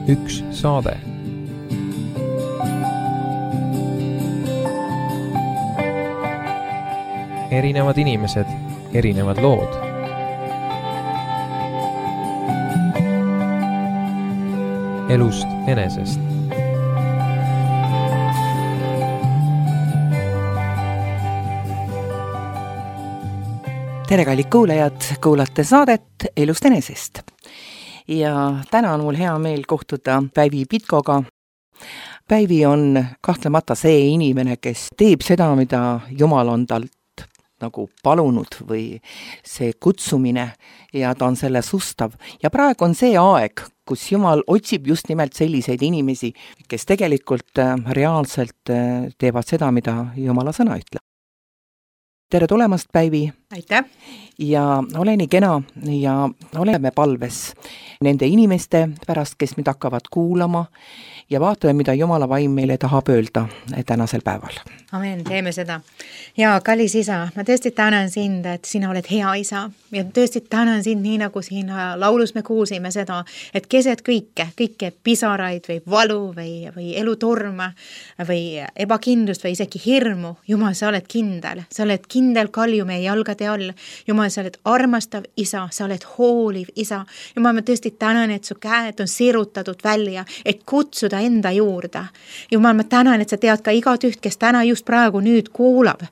üks saade. Erinevad inimesed, erinevad lood. Elust enesest. Tere, kallid kuulajad, kuulate saadet Elust enesest. Ja täna on mul hea meel kohtuda Päivi Pitkoga. Päivi on kahtlemata see inimene, kes teeb seda, mida Jumal on talt nagu palunud või see kutsumine ja ta on selle sustav. Ja praegu on see aeg, kus Jumal otsib just nimelt selliseid inimesi, kes tegelikult reaalselt teevad seda, mida Jumala sõna ütleb. Tere tulemast, Päivi! Aitäh! Ja ole nii kena ja oleme palves nende inimeste pärast, kes meid hakkavad kuulama ja vaatame, mida Jumala vaim meile tahab öelda tänasel päeval. Amen, teeme seda. Ja kallis isa, ma tõesti tänan sind, et sina oled hea isa ja tõesti tänan sind nii, nagu siin laulus me kuulsime seda, et keset kõike pisaraid või valu või elutorma või ebakindlust või isegi hirmu. Jumal, sa oled kindel kalju meie jalgade all. Jumal, sa oled armastav isa, sa oled hooliv isa. Jumal, ma tõesti tänan, et su käed on sirutatud välja, et kutsuda enda juurde. Jumal, ma tänan, et sa tead ka igat üht, kes täna just praegu nüüd kuulab.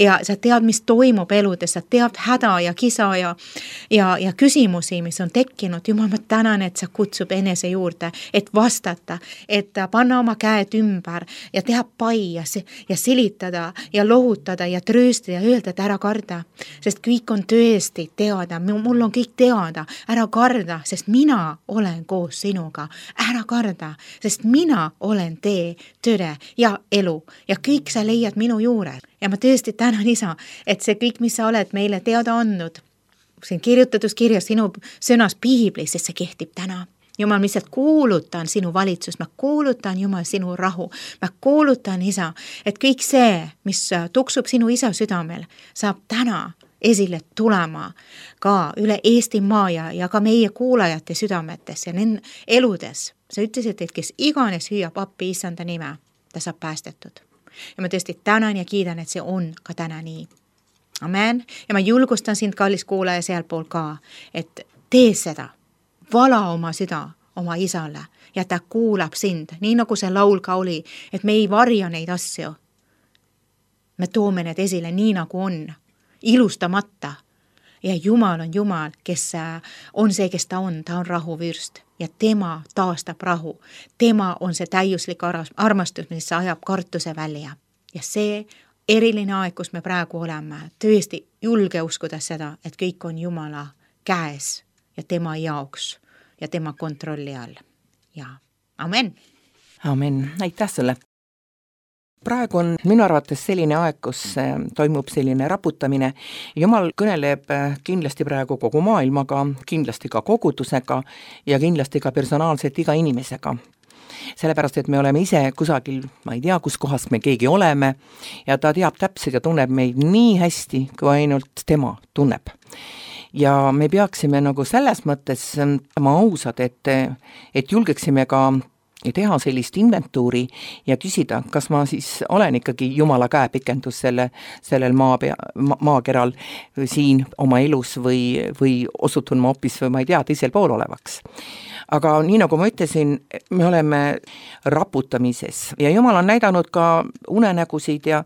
Ja sa tead, mis toimub eludes, sa tead häda ja kisa ja küsimusi, mis on tekkinud. Jumal, ma tänan, et sa kutsub enese juurde, et vastata, et panna oma käed ümber ja teha pai ja silitada ja lohutada ja trööstada ja öelda, et ära karda. Sest kõik on tõesti teada, mul on kõik teada. Ära karda, sest mina olen koos sinuga. Ära karda, sest mina olen tee, tõde ja elu ja kõik sa leiad minu juures. Ja ma tõesti tänan isa, et see kõik, mis sa oled meile teada andnud, siin kirjutatus kirjas sinu sõnas piiblis, sest see kehtib täna. Jumal, ma lihtsalt kuulutan sinu valitsust, ma kuulutan Jumal sinu rahu, ma kuulutan isa, et kõik see, mis tuksub sinu isa südamel, saab täna esile tulema ka üle Eestimaa ja ka meie kuulajate südametes ja nende eludes. Sa ütlesid, et kes iganes hüüab appi issanda nime, ta saab päästetud. Ja ma tõesti tänan ja kiidan, et see on ka täna nii. Amen. Ja ma julgustan sind, kallis kuulaja, sealpool ka, et tee seda. Vala oma süda oma isale ja ta kuulab sind, nii nagu see laul ka oli, et me ei varja neid asju. Me toome need esile nii nagu on, ilustamata. Ja Jumal on Jumal, kes on see, kes ta on rahuvürst ja tema taastab rahu. Tema on see täiuslik armastus, mis ajab kartuse välja. Ja see eriline aeg, kus me praegu oleme, tõesti julge uskuda seda, et kõik on Jumala käes ja tema jaoks ja tema kontrolli all. Ja amen. Amen. Aitäh sulle. Praegu on minu arvates selline aeg, kus toimub selline raputamine. Jumal kõneleb kindlasti praegu kogu maailmaga, kindlasti ka kogudusega ja kindlasti ka personaalselt iga inimesega. Sellepärast, et me oleme ise kusagil, ma ei tea, kus kohas me keegi oleme ja ta teab täpselt ja tunneb meid nii hästi, kui ainult tema tunneb. Ja me peaksime nagu selles mõttes ausad, et julgeksime ka teha sellist inventuuri ja küsida, kas ma siis olen ikkagi Jumala käepikendus sellel maakeral siin oma elus või osutun ma hoopis või ma ei tea, teisel pool olevaks. Aga nii nagu ma ütlesin, me oleme raputamises ja Jumal on näidanud ka unenägusid ja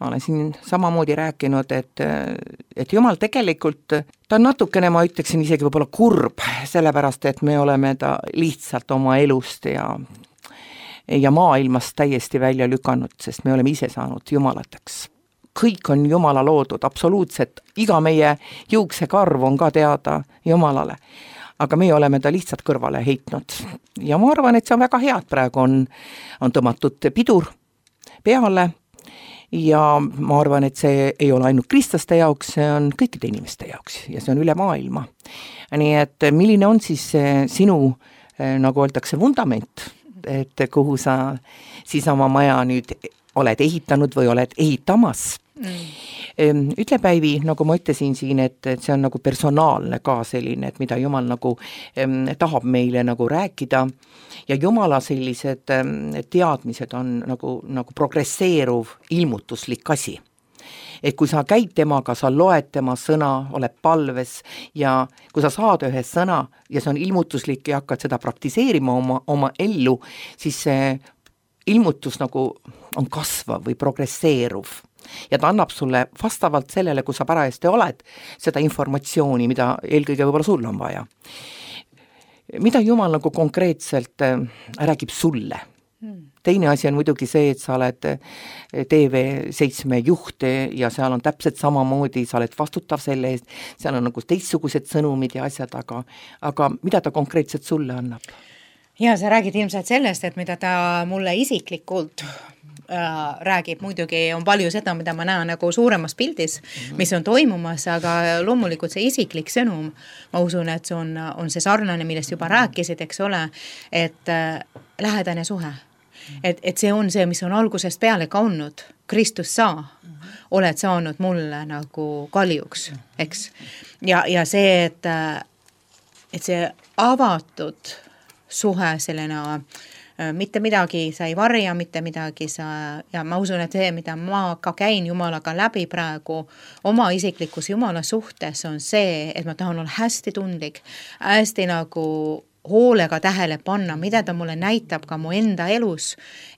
ma olen siin samamoodi rääkinud, et Jumal tegelikult, ta on natukene, ma ütleksin isegi võib-olla kurb, sellepärast, et me oleme ta lihtsalt oma elust ja maailmast täiesti välja lükanud, sest me oleme ise saanud jumalateks. Kõik on Jumala loodud, absoluutselt, iga meie juuksekarv on ka teada Jumalale. Aga meie oleme ta lihtsalt kõrvale heitnud. Ja ma arvan, et see on väga hea, et praegu on tõmmatud pidur peale ja ma arvan, et see ei ole ainult kristlaste jaoks, see on kõikide inimeste jaoks ja see on üle maailma. Nii et milline on siis sinu, nagu öeldakse, vundament, et kuhu sa siis oma maja nüüd oled ehitanud või oled ehitamas? Ütle Päivi, nagu ma ütlesin siin, et see on nagu personaalne ka selline, et mida Jumal nagu tahab meile nagu rääkida ja Jumala sellised teadmised on nagu progresseeruv ilmutuslik asi. Et kui sa käid temaga, sa loed tema sõna, oled palves ja kui sa saad ühe sõna ja see on ilmutuslik ja hakkad seda praktiseerima oma ellu, siis see ilmutus nagu on kasvav või progresseeruv. Ja ta annab sulle vastavalt sellele, kui sa parajasti oled, seda informatsiooni, mida eelkõige võib-olla sul on vaja. Mida Jumal nagu konkreetselt räägib sulle? Teine asi on muidugi see, et sa oled TV7 juht ja seal on täpselt samamoodi, sa oled vastutav selle eest, seal on nagu teistsugused sõnumid ja asjad, aga mida ta konkreetselt sulle annab? Ja sa räägid ilmselt sellest, et mida ta mulle isiklikult räägib, muidugi on palju seda, mida ma näen nagu suuremas pildis, mis on toimumas, aga loomulikult see isiklik sõnum, ma usun, et see on see sarnane, millest juba rääkisid, eks ole, et lähedane suhe. Et see on see, mis on algusest peale ka olnud. Kristus sa oled saanud mulle nagu kaljuks, eks. Ja see, et see avatud suhe sellena, mitte midagi sa ei varja, mitte midagi ja ma usun, et see, mida ma ka käin Jumalaga läbi praegu oma isiklikus Jumala suhtes, on see, et ma tahan olla hästi tundlik, hästi nagu hoolega tähele panna, mida ta mulle näitab ka mu enda elus,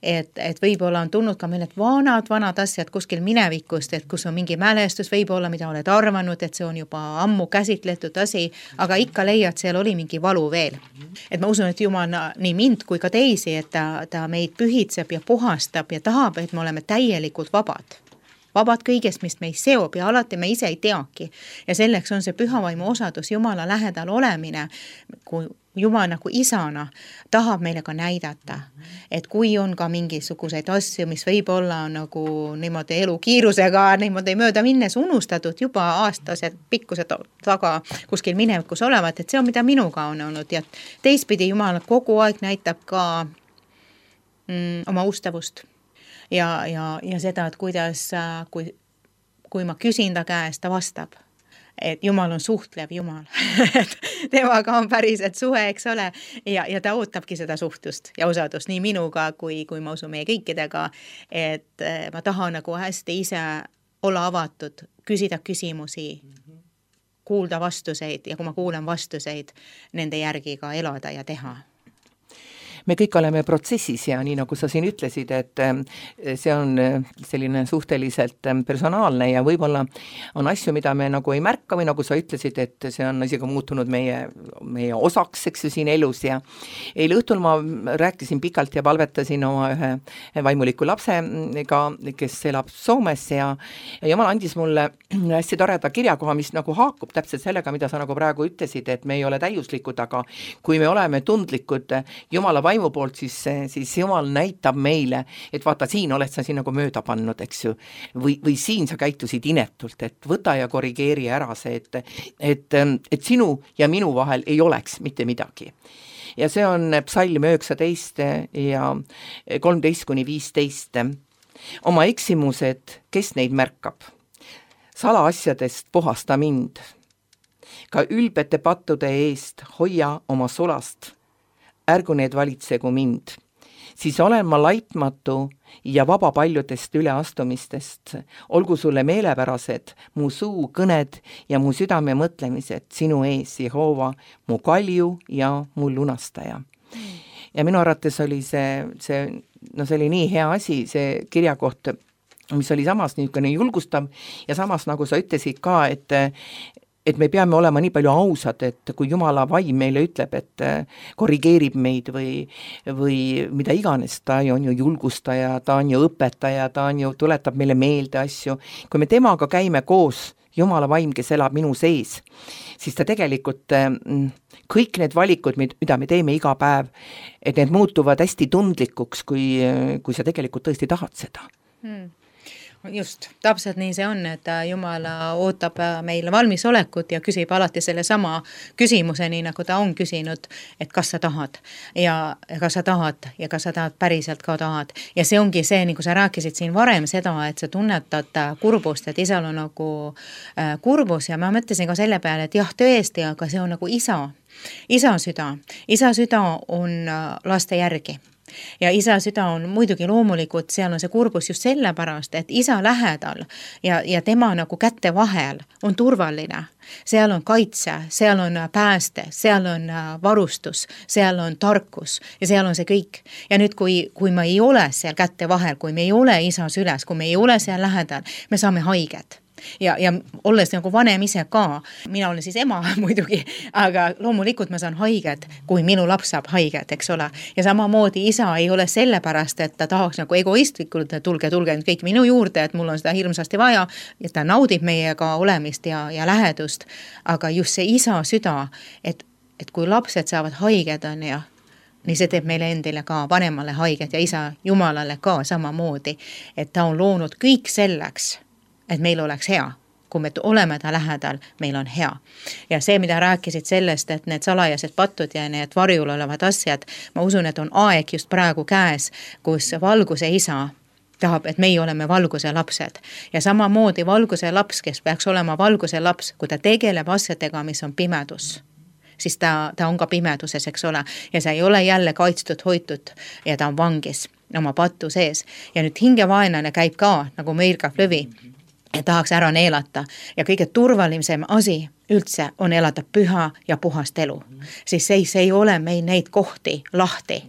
et võib-olla on tulnud ka meil vanad asjad kuskil minevikust, et kus on mingi mälestus, võib-olla mida oled arvanud, et see on juba ammu käsitletud asi, aga ikka leiad, seal oli mingi valu veel. Et ma usun, et Jumal nii mind kui ka teisi, et ta meid pühitseb ja puhastab ja tahab, et me oleme täielikult vabad kõigest, mis meid seob ja alati me ise ei teagi. Ja selleks on see pühavaimu osadus, Jumala lähedal olemine, kui Jumal nagu isana tahab meile ka näidata, et kui on ka mingisuguseid asju, mis võib olla nagu niimoodi elukiirusega niimoodi mööda minnes unustatud juba aastased pikkused taga kuskil minevikus olevat, et see on, mida minuga on olnud ja teistpidi Jumal kogu aeg näitab ka oma ustavust ja seda, et kuidas, kui ma küsin ta käest, ta vastab. Et Jumal on suhtlev Jumal, et temaga on päriselt suhe, eks ole, ja ta ootabki seda suhtlust ja osadust nii minuga kui ma usun meie kõikidega, et ma tahan nagu hästi ise olla avatud, küsida küsimusi, kuulda vastuseid ja kui ma kuulen vastuseid, nende järgi ka elada ja teha. Me kõik oleme protsessis ja nii nagu sa siin ütlesid, et see on selline suhteliselt personaalne ja võib-olla on asju, mida me nagu ei märka või nagu sa ütlesid, et see on isegi muutunud meie osaks, eks ju, siin elus ja eile õhtul ma rääkisin pikalt ja palvetasin oma ühe vaimuliku lapsega, kes elab Soomes ja Jumal andis mulle hästi toreda kirjakoha, mis nagu haakub täpselt sellega, mida sa nagu praegu ütlesid, et me ei ole täiuslikud, aga kui me oleme tundlikud Jumala vaimu poolt, siis Jumal näitab meile, et vaata, siin oled sa siin nagu mööda pannud, eks ju, või siin sa käitusid inetult, et võta ja korrigeeri ära see, et sinu ja minu vahel ei oleks mitte midagi. Ja see on psalm 19 ja 13-15. Oma eksimused, kes neid märkab? Salaasjadest puhasta mind. Ka ülbete pattude eest hoia oma sulast. Ärgu need valitsegu mind. Siis olen ma laitmatu ja vaba paljudest üleastumistest. Olgu sulle meelepärased mu suu kõned ja mu südame mõtlemised sinu ees, Jehova, mu kalju ja mu lunastaja. Ja minu arvates oli see oli nii hea asi, see kirjakoht, mis oli samas niisugune julgustav ja samas, nagu sa ütlesid ka, et me peame olema nii palju ausad, et kui Jumala vaim meile ütleb, et korrigeerib meid või mida iganes, ta on ju julgustaja, ta on ju õpetaja, ta on ju tuletab meile meelde asju. Kui me temaga käime koos, Jumala vaim, kes elab minu sees, siis ta tegelikult kõik need valikud, mida me teeme iga päev, et need muutuvad hästi tundlikuks, kui sa tegelikult tõesti tahad seda. Just, täpselt nii see on, et Jumal ootab meil valmisolekut ja küsib alati selle sama küsimuse, nii nagu ta on küsinud, et kas sa tahad ja kas sa tahad ja kas sa tahad päriselt ka tahad. Ja see ongi see, nagu sa rääkisid siin varem seda, et sa tunnetad kurbust, et isal on nagu kurbus ja ma mõtlesin ka selle peale, et jah, tõesti, aga see on nagu isa süda. Isa süda on laste järgi. Ja isa süda on muidugi loomulikult, seal on see kurbus just sellepärast, et isa lähedal ja tema nagu kätte vahel on turvaline. Seal on kaitse, seal on pääste, seal on varustus, seal on tarkus ja seal on see kõik. Ja nüüd, kui me ei ole seal kätte vahel, kui me ei ole isa süles, kui me ei ole seal lähedal, me saame haiget. Ja olles nagu vanem ise ka, mina olen siis ema muidugi, aga loomulikult ma saan haiget, kui minu laps saab haiget, eks ole. Ja samamoodi isa ei ole sellepärast, et ta tahaks nagu egoistlikult, tulge nüüd kõik minu juurde, et mul on seda hirmsasti vaja, ja ta naudib meiega olemist ja lähedust. Aga just see isa süda, et kui lapsed saavad haiged on ja nii see teeb meile endile ka vanemale haiget ja isa Jumalale ka samamoodi, et ta on loonud kõik selleks, et meil oleks hea, kui me oleme ta lähedal, meil on hea. Ja see, mida rääkisid sellest, et need salajased patud ja need varjul olevad asjad, ma usun, et on aeg just praegu käes, kus valguse isa tahab, et meie oleme valguse lapsed. Ja samamoodi valguse laps, kes peaks olema valguse laps, kui ta tegeleb asjadega, mis on pimedus, siis ta on ka pimeduses, eks ole, ja see ei ole jälle kaitstud, hoitud ja ta on vangis oma pattu sees. Ja nüüd hingevaenlane käib ka, nagu mõirgav lõvi, ja tahaks ära neelata ja kõige turvalisem asi üldse on elada püha ja puhast elu. Siis see ei ole meil neid kohti lahti,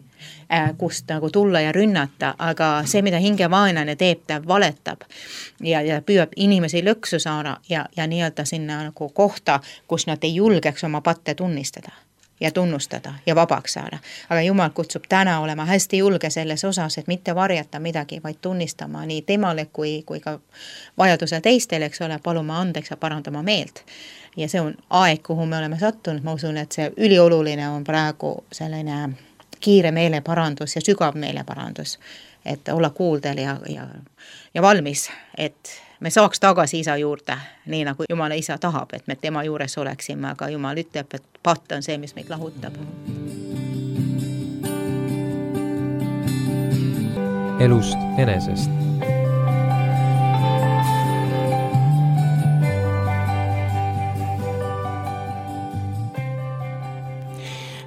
kust nagu tulla ja rünnata, aga see, mida hingevaenlane teeb, ta valetab ja püüab inimesi lõksu saada ja nii-öelda sinna nagu kohta, kus nad ei julgeks oma patte tunnistada ja tunnustada ja vabaks saada. Aga Jumal kutsub täna olema hästi julge selles osas, et mitte varjata midagi, vaid tunnistama nii temale kui ka vajadusel teistele, eks ole, paluma andeks ja parandama meelt. Ja see on aeg, kuhu me oleme sattunud. Ma usun, et see ülioluline on praegu selline kiire meeleparandus ja sügav meeleparandus, et olla kuuldel ja valmis, et me saaks tagasi isa juurde, nii nagu Jumala isa tahab, et me tema juures oleksime, aga Jumal ütleb, et patt on see, mis meid lahutab. Elust enesest.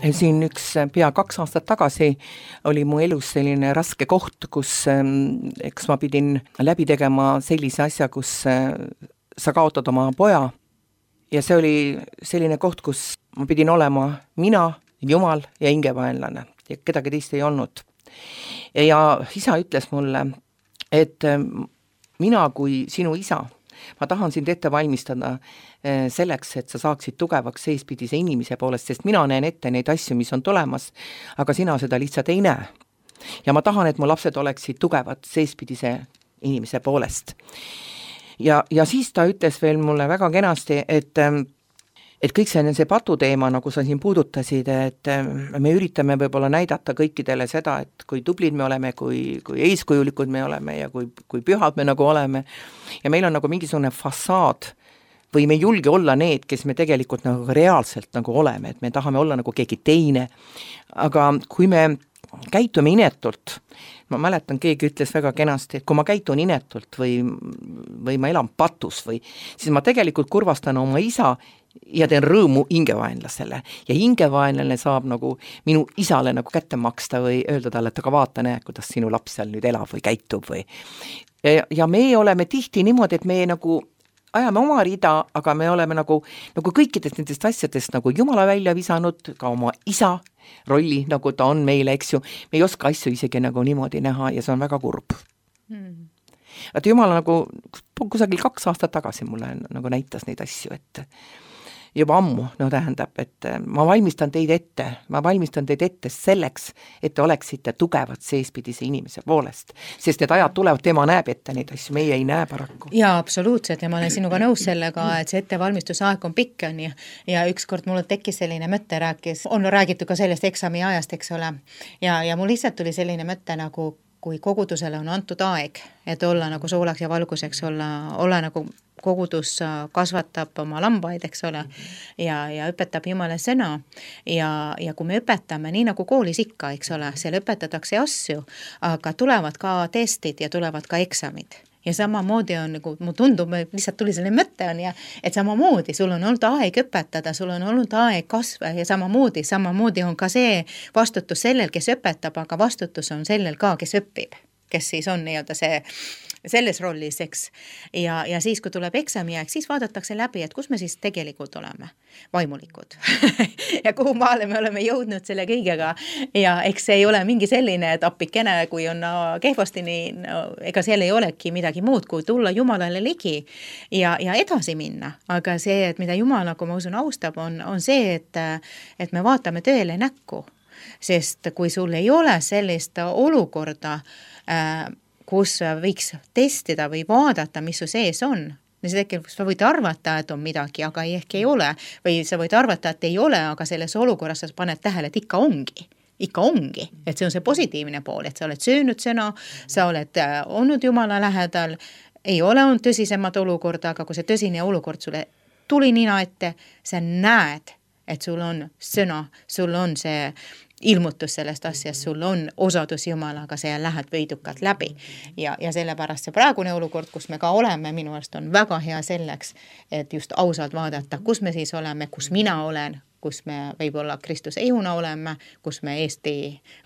Siin pea 2 aastat tagasi oli mu elus selline raske koht, kus eks ma pidin läbi tegema sellise asja, kus sa kaotad oma poja ja see oli selline koht, kus ma pidin olema mina, Jumal ja hingevaenlane ja kedagi teist ei olnud. Ja isa ütles mulle, et mina kui sinu isa, ma tahan sind ette valmistada selleks, et sa saaksid tugevaks seespidise inimese poolest, sest mina näen ette neid asju, mis on tulemas, aga sina seda lihtsalt ei näe. Ja ma tahan, et mu lapsed oleksid tugevad seespidise inimese poolest. Ja siis ta ütles veel mulle väga kenasti, et kõik see patuteema, nagu sa siin puudutasid, et me üritame võib-olla näidata kõikidele seda, et kui tublid me oleme, kui eeskujulikud me oleme ja kui pühad me nagu oleme. Ja meil on nagu mingisugune fassaad või me ei julge olla need, kes me tegelikult nagu reaalselt nagu oleme, et me tahame olla nagu keegi teine. Aga kui me käitume inetult, ma mäletan, keegi ütles väga kenasti, et kui ma käitun inetult või ma elan patus siis ma tegelikult kurvastan oma isa ja teen rõõmu hingevaenlasele. Ja hingevaenlane saab nagu minu isale nagu kätte maksta või öelda talle, et aga vaata, näe, kuidas sinu laps seal nüüd elab või käitub või. Ja me oleme tihti niimoodi, et me nagu ajame oma rida, aga me oleme nagu kõikidest nendest asjadest nagu Jumala välja visanud, ka oma isa rolli, nagu ta on meile, eks ju. Me ei oska asju isegi nagu niimoodi näha ja see on väga kurb. Et Jumal nagu kusagil 2 aastat tagasi mulle nagu näitas neid asju, et juba ammu, tähendab, et ma valmistan teid ette selleks, et te oleksite tugevad seespidise inimese poolest, sest need ajad tulevad, tema näeb ette neid asju, meie ei näe paraku. Jaa, absoluutselt ja ma olen sinuga nõus sellega, et see ettevalmistusaeg on pikk ja ükskord mul tekkis selline mõte, on räägitud ka sellest eksami ajast, eks ole, ja mul lihtsalt tuli selline mõte nagu kui kogudusele on antud aeg, et olla nagu soolaks ja valguseks, olla nagu kogudus kasvatab oma lambaid, eks ole, ja õpetab Jumala sõna ja kui me õpetame, nii nagu koolis ikka, eks ole, seal õpetatakse asju, aga tulevad ka testid ja tulevad ka eksamid. Ja samamoodi on, nagu mu tundub, lihtsalt tuli selle mõtte on ja, et samamoodi sul on olnud aeg õpetada, sul on olnud aeg kasva ja samamoodi on ka see vastutus sellel, kes õpetab, aga vastutus on sellel ka, kes õpib, kes siis on nii-öelda selles rollis, eks. Ja siis, kui tuleb eksamiaeg, siis vaadatakse läbi, et kus me siis tegelikult oleme, vaimulikud. ja kuhu maale me oleme jõudnud selle kõigega ja eks see ei ole mingi selline, et appikene, kui on kehvasti, nii, ega seal ei olegi midagi muud, kui tulla Jumalale ligi ja edasi minna. Aga see, et mida Jumal, nagu ma usun, austab, on see, et me vaatame tõele näkku. Sest kui sul ei ole sellist olukorda, kus võiks testida või vaadata, mis su sees on. Ja see tegelikult sa võid arvata, et on midagi, aga ehk ei ole. Või sa võid arvata, et ei ole, aga selles olukorras sa paned tähele, et ikka ongi. Et see on see positiivne pool, et sa oled söönud sõna, sa oled olnud Jumala lähedal, ei ole olnud tõsisemad olukorda, aga kui see tõsine olukord sulle tuli nina ette, sa näed, et sul on sõna, sul on see ilmutus sellest asjast, sul on osadus Jumalaga, see lähed võidukalt läbi. Ja sellepärast see praegune olukord, kus me ka oleme, minu arust on väga hea selleks, et just ausalt vaadata, kus me siis oleme, kus mina olen, kus me võib-olla Kristuse ihuna oleme, kus me Eesti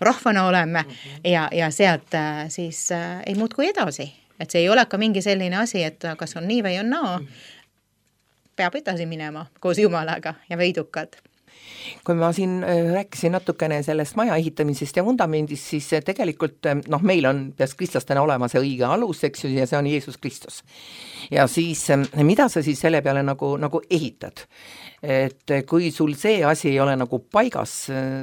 rahvana oleme ja sealt siis ei muutku edasi. Et see ei ole ka mingi selline asi, et kas on nii või on naa, peab edasi minema koos Jumalaga ja võidukad. Kui ma siin rääkisin natukene sellest maja ehitamisest ja vundamendist, siis tegelikult meil on peaks kristlastena olema see õige alus, eks ju, ja see on Jeesus Kristus. Ja siis, mida sa siis selle peale nagu ehitad? Et kui sul see asi ei ole nagu paigas,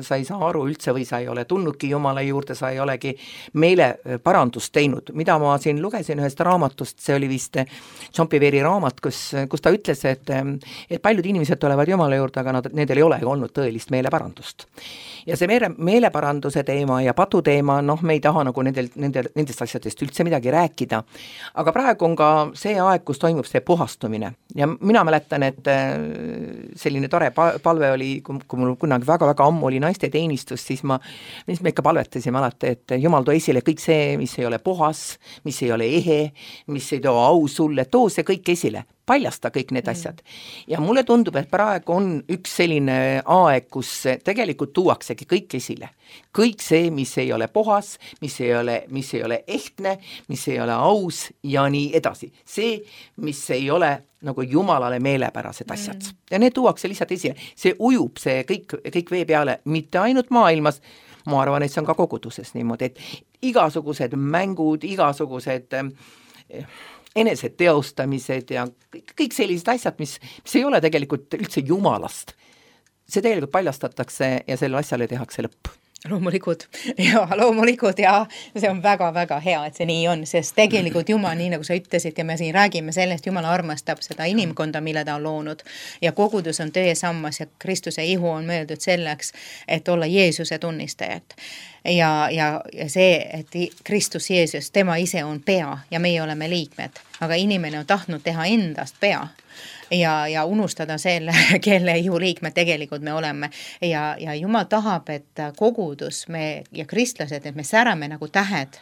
sa ei saa aru üldse või sa ei ole tulnudki Jumala juurde, sa ei olegi meile parandust teinud. Mida ma siin lugesin ühest raamatust, see oli vist John Bevere raamat, kus ta ütles, et paljud inimesed tulevad Jumala juurde, aga nendel ei ole olnud tõelist meeleparandust. Ja see meeleparanduse teema ja patu teema, me ei taha nagu nendest asjadest üldse midagi rääkida. Aga praegu on ka see aeg, kus toimub see puhastumine. Ja mina mäletan, et selline tore palve oli, kui mul kunagi väga-väga ammu oli naiste teenistus, siis me ikka palvetasime alati, et Jumal too esile kõik see, mis ei ole puhas, mis ei ole ehe, mis ei too au sulle, too see kõik esile, paljasta kõik need asjad. Ja mulle tundub, et praegu on üks selline aeg, kus tegelikult tuuaksegi kõik esile. Kõik see, mis ei ole puhas, mis ei ole ehtne, mis ei ole aus ja nii edasi. See, mis ei ole nagu Jumalale meelepärased asjad. Ja need tuuakse lihtsalt esile. See ujub see kõik vee peale, mitte ainult maailmas, ma arvan, et see on ka koguduses niimoodi, et igasugused mängud, igasugused enesed teostamised ja kõik sellised asjad, mis ei ole tegelikult üldse Jumalast. See tegelikult paljastatakse ja selle asjale tehakse lõpp. Loomulikud ja see on väga-väga hea, et see nii on, sest tegelikult Jumal, nii nagu sa ütlesid ja me siin räägime sellest, Jumal armastab seda inimkonda, mille ta on loonud ja kogudus on töö sammas ja Kristuse ihu on mõeldud selleks, et olla Jeesuse tunnistajad. Ja see, et Kristus Jeesus, tema ise on pea ja meie oleme liikmed, aga inimene on tahtnud teha endast pea ja unustada selle, kelle ihu liikmed tegelikult me oleme. Ja Jumal tahab, et kogudus ja kristlased, et me särame nagu tähed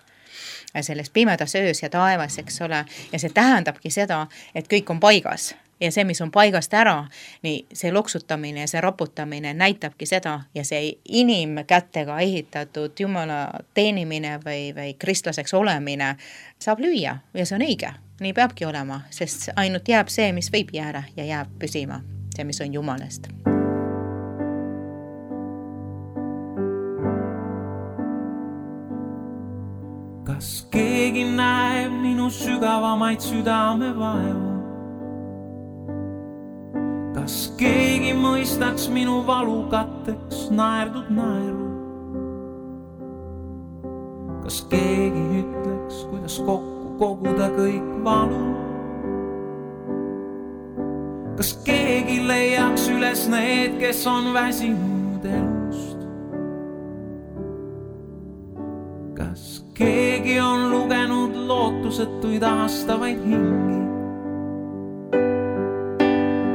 selles pimedas öös ja taevas, eks ole, ja see tähendabki seda, et kõik on paigas. Ja see, mis on paigast ära, nii see loksutamine ja see raputamine näitabki seda ja see inimkätega ehitatud Jumala teenimine või kristlaseks olemine saab lüüa ja see on õige. Nii peabki olema, sest ainult jääb see, mis võib jääda ja jääb püsima, see, mis on Jumalast. Kas keegi näeb minu sügavamaid südamevaevu? Kas keegi mõistaks minu valukatteks naerdud naeru? Kas keegi ütleks, kuidas kokku koguda kõik valu? Kas keegi leiaks üles need, kes on väsinud elust? Kas keegi lootusetuid ahastavaid hingi.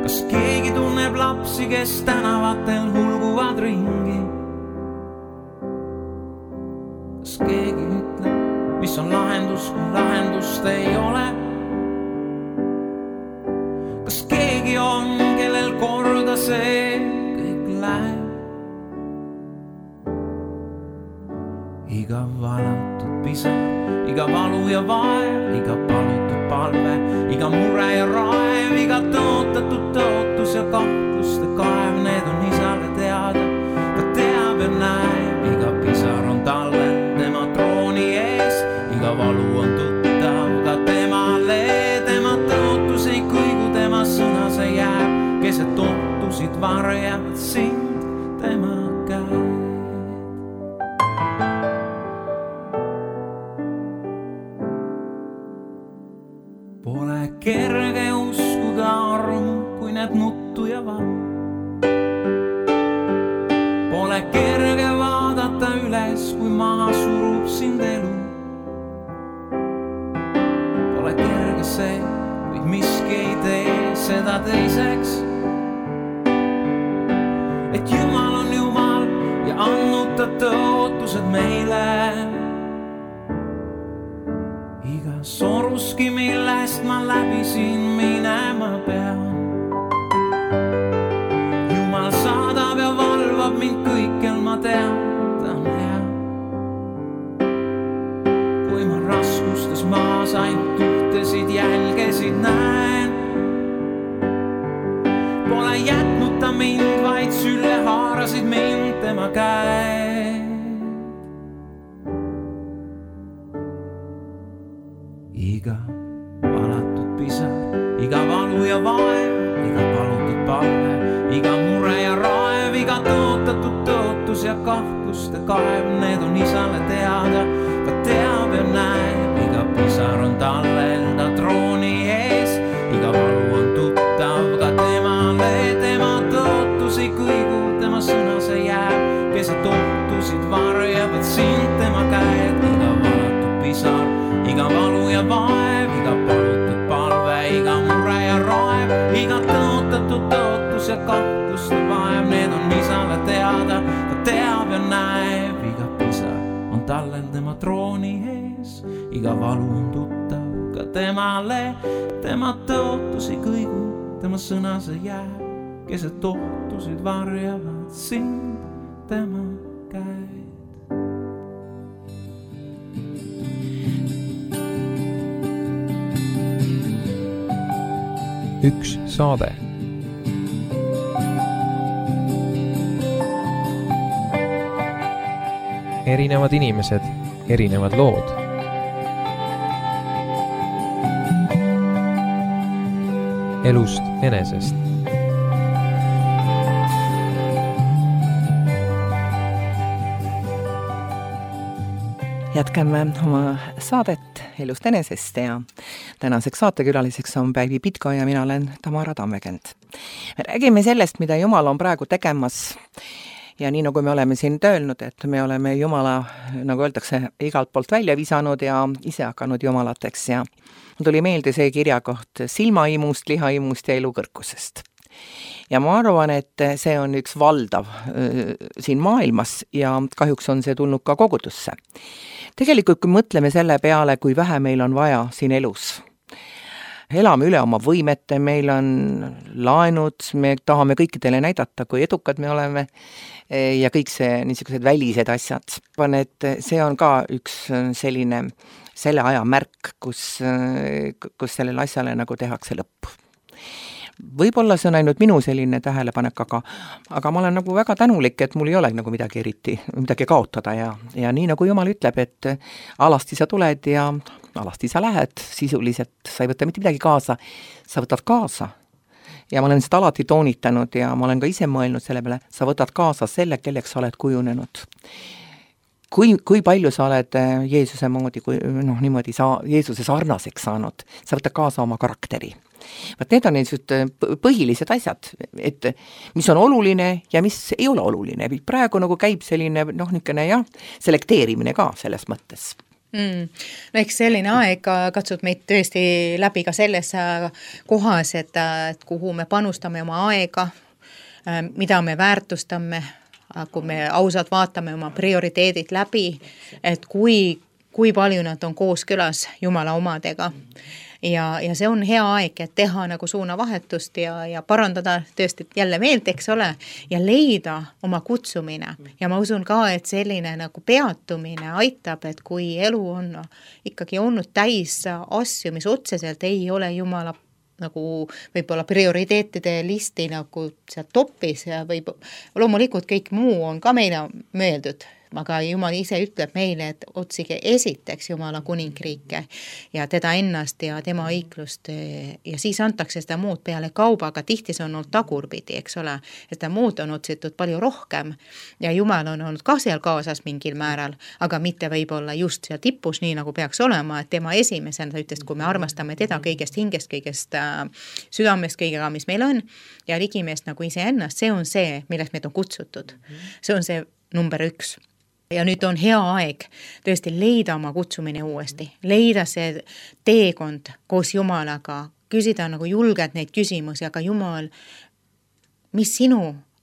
Kas keegi tunneb lapsi, kes tänavatel hulguvad ringi? Kas keegi ütleb, mis on lahendus, kui lahendust ei ole? Kas keegi on, kellel korda see kõik läheb? Iga valatud pisar, iga valu ja vaev, iga palutud palve, iga mure ja raev, iga tõotatud tõotus ja kahtluste kaev, need on isale teada. Ta teab ja näeb, iga pisar on talle tema trooni ees, iga valu on tuttav ka temale, tema tõotus ei kõigu, tema sõna see jääb, keset ohtusid varjavad sind tema käed. Pole kerge uskuda armu, kui näed nuttu ja valu. Pole kerge vaadata üles, kui maha surub sind elu. Pole kerge see, kuid miski ei tee seda teiseks, et Jumal on Jumal ja andnud ta tõotused meile. Iga soruski, millest ma läbi siin minema pean. Jumal saadab ja valvab mind kõikjal, ma tean, ta on hea. Kui ma raskustes maas ainult ühtesid jälgesid näen, pole jätnud ta mind, vaid sülle haarasid mind tema käed. Iga valatud pisar, iga valu ja vaev, iga palutud palve, iga mure ja raev, iga tõotatud tõotus ja kahtluste kaev, need on isale teada. Ta teab ja näeb, iga pisar on talle enda trooni ees, iga valu on tuttav ka temale, tema tõotus ei kõigu, tema sõna see jääb, keset ohtusid varjavad sind tema käed. Iga valatud pisar, iga valu ja vaev, iga palutud palve, iga mure ja raev, iga tõotatud tõotus ja kahtluste vaev, need on isale teada. Ta teab ja näeb, iga pisar on tallel tema trooni ees, iga valu on tuttav ka temale, tema tõotus ei kõigu, tema sõna see jääb, keset ohtusid varjavad sind tema käed. Üks saade. Erinevad inimesed, erinevad lood. Elust enesest. Jätkame oma saadet Elust enesest ja tänaseks saatekülaliseks on Päivi Pitko ja mina olen Tamara Tammekend. Me räägime sellest, mida Jumal on praegu tegemas ja nii nagu me oleme siin öelnud, et me oleme Jumala, nagu öeldakse, igalt poolt välja visanud ja ise hakanud jumalateks ja tuli meelde see kirjakoht silmaimust, lihaimust ja elukõrkusest. Ja ma arvan, et see on üks valdav siin maailmas ja kahjuks on see tulnud ka kogudusse. Tegelikult, kui mõtleme selle peale, kui vähe meil on vaja siin elus, elame üle oma võimete, meil on laenud, me tahame kõikidele näidata, kui edukad me oleme ja kõik see niisugused välised asjad. Et see on ka üks selline selle aja märk, kus sellele asjale nagu tehakse lõpp. Võib-olla see on ainult minu selline tähelepanek, aga ma olen nagu väga tänulik, et mul ei ole nagu midagi eriti, midagi kaotada ja nii nagu Jumal ütleb, et alasti sa tuled ja alasti sa lähed, sisuliselt sa ei võta mitte midagi kaasa, sa võtad kaasa. Ja ma olen seda alati toonitanud ja ma olen ka ise mõelnud selle peale, sa võtad kaasa selle, kelleks sa oled kujunenud. Kui palju sa oled Jeesuse moodi, niimoodi Jeesuse sarnaseks saanud, sa võtad kaasa oma karakteri. Vaat need on põhilised asjad, et mis on oluline ja mis ei ole oluline. Praegu nagu käib selline, niisugune selekteerimine ka selles mõttes. No eks selline aeg katsub meid tõesti läbi ka selles kohas, et kuhu me panustame oma aega, mida me väärtustame, kui me ausalt vaatame oma prioriteedid läbi, et kui palju nad on kooskõlas Jumala omadega. Ja see on hea aeg, et teha nagu suunavahetust ja parandada tõesti jälle meelt, eks ole, ja leida oma kutsumine. Ja ma usun ka, et selline nagu peatumine aitab, et kui elu on ikkagi olnud täis asju, mis otseselt ei ole Jumala nagu võib-olla prioriteetide listi nagu seal topis ja loomulikult kõik muu on ka meile mõeldud. Aga Jumal ise ütleb meile, et otsige esiteks Jumala kuningriike ja teda ennast ja tema õiglust ja siis antakse seda muud peale kauba, aga tihti see on olnud tagurpidi, eks ole, et seda muud on otsitud palju rohkem ja Jumal on olnud ka seal kaasas mingil määral, aga mitte võib-olla just seal tipus, nii nagu peaks olema, et tema esimesena ta ütles, kui me armastame teda kõigest hingest, kõigest südamest, kõigega, mis meil on ja ligimeest nagu ise ennast, see on see, millest meid on kutsutud. See on see number 1. Ja nüüd on hea aeg tõesti leida oma kutsumine uuesti, leida see teekond koos Jumalaga, küsida nagu julgelt neid küsimusi, aga Jumal, mis sinu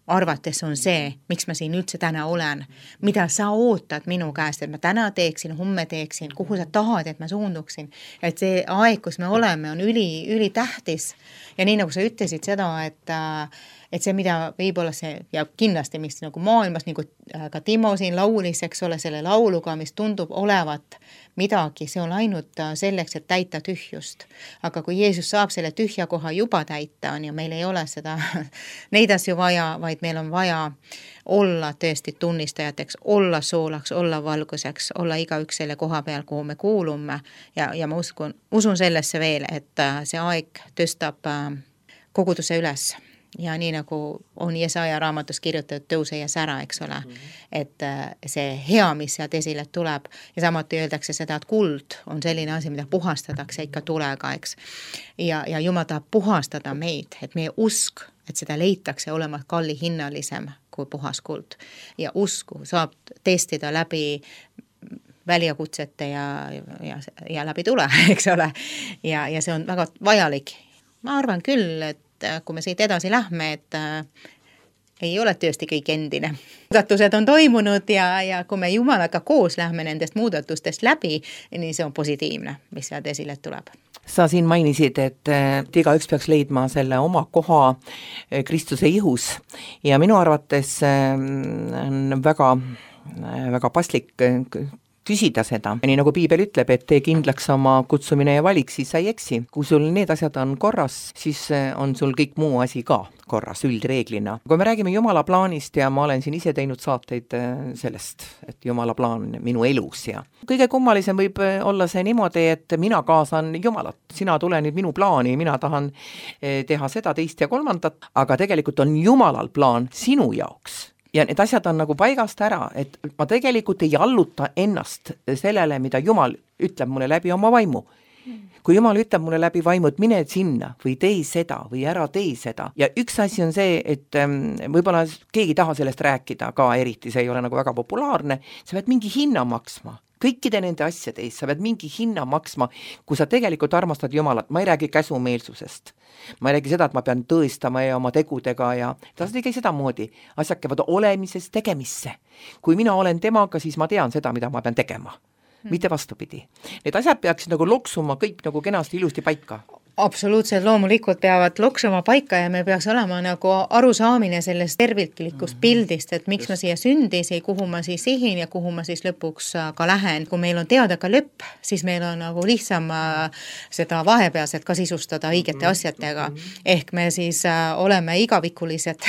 arvates on see, miks ma siin üldse täna olen, mida sa ootad minu käest, et ma täna teeksin, homme teeksin, kuhu sa tahad, et ma suunduksin, et see aeg, kus me oleme, on üli tähtis ja nii nagu sa ütlesid seda, et see, mida võib-olla see ja kindlasti, mis nagu maailmas, nagu ka Timo siin laulis, eks ole, selle lauluga, mis tundub olevat midagi, see on ainult selleks, et täita tühjust. Aga kui Jeesus saab selle tühja koha juba täita, on ju, meil ei ole seda neid asju vaja, vaid meil on vaja olla tõesti tunnistajateks, olla soolaks, olla valguseks, olla igaüks selle koha peal, kuhu me kuulume ja ma usun sellesse veel, et see aeg tõstab koguduse üles. Ja nii nagu on Jesaja raamatus kirjutatud tõuse ja sära, eks ole, et see hea, mis sealt esile tuleb ja samuti öeldakse seda, et kuld on selline asi, mida puhastatakse ikka tulega, eks. Ja Jumal tahab puhastada meid, et meie usk, et seda leitakse olema kallihinnalisem kui puhas kuld. Ja usku saab testida läbi väljakutsete ja läbi tule, eks ole. Ja see on väga vajalik. Ma arvan küll, et kui me siit edasi lähme, et ei ole tõesti kõik endine. Muudatused on toimunud ja kui me Jumalaga koos lähme nendest muudatustest läbi, nii see on positiivne, mis sealt esile tuleb. Sa siin mainisid, et igaüks peaks leidma selle oma koha Kristuse ihus ja minu arvates on väga paslik küsida seda. Nii nagu Piibel ütleb, et tee kindlaks oma kutsumine ja valik, siis sa ei eksi. Kui sul need asjad on korras, siis on sul kõik muu asi ka korras üldreeglina. Kui me räägime Jumala plaanist ja ma olen siin ise teinud saateid sellest, et Jumala plaan minu elus ja kõige kummalisem võib olla see niimoodi, et mina kaasan Jumalat. Sina tule nüüd minu plaani, mina tahan teha seda, teist ja kolmandat, aga tegelikult on Jumalal plaan sinu jaoks. Ja need asjad on nagu paigast ära, et ma tegelikult ei alluta ennast sellele, mida Jumal ütleb mulle läbi oma vaimu. Kui Jumal ütleb mulle läbi vaimu, et mine sinna või tee seda või ära tee seda. Ja üks asi on see, et võib-olla keegi taha sellest rääkida ka eriti, see ei ole nagu väga populaarne, sa pead mingi hinna maksma. Kõikide nende asjade eest sa pead mingi hinna maksma, kui sa tegelikult armastad Jumalat. Ma ei räägi käsumeelsusest. Ma ei räägi seda, et ma pean tõestama ja oma tegudega ja ta ei käi seda moodi. Asjad käivad olemisest tegemisse. Kui mina olen temaga, siis ma tean seda, mida ma pean tegema. Mitte vastupidi. Need asjad peaksid nagu loksuma kõik nagu kenasti ilusti paika. Absoluutselt, loomulikult peavad loksuma paika ja me peaks olema nagu arusaamine sellest terviklikust pildist, et miks ma siia sündisin, kuhu ma siis sihin ja kuhu ma siis lõpuks ka lähen. Kui meil on teada ka lõpp, siis meil on nagu lihtsam seda vahepealselt ka sisustada õigete asjadega. Ehk me siis oleme igavikulised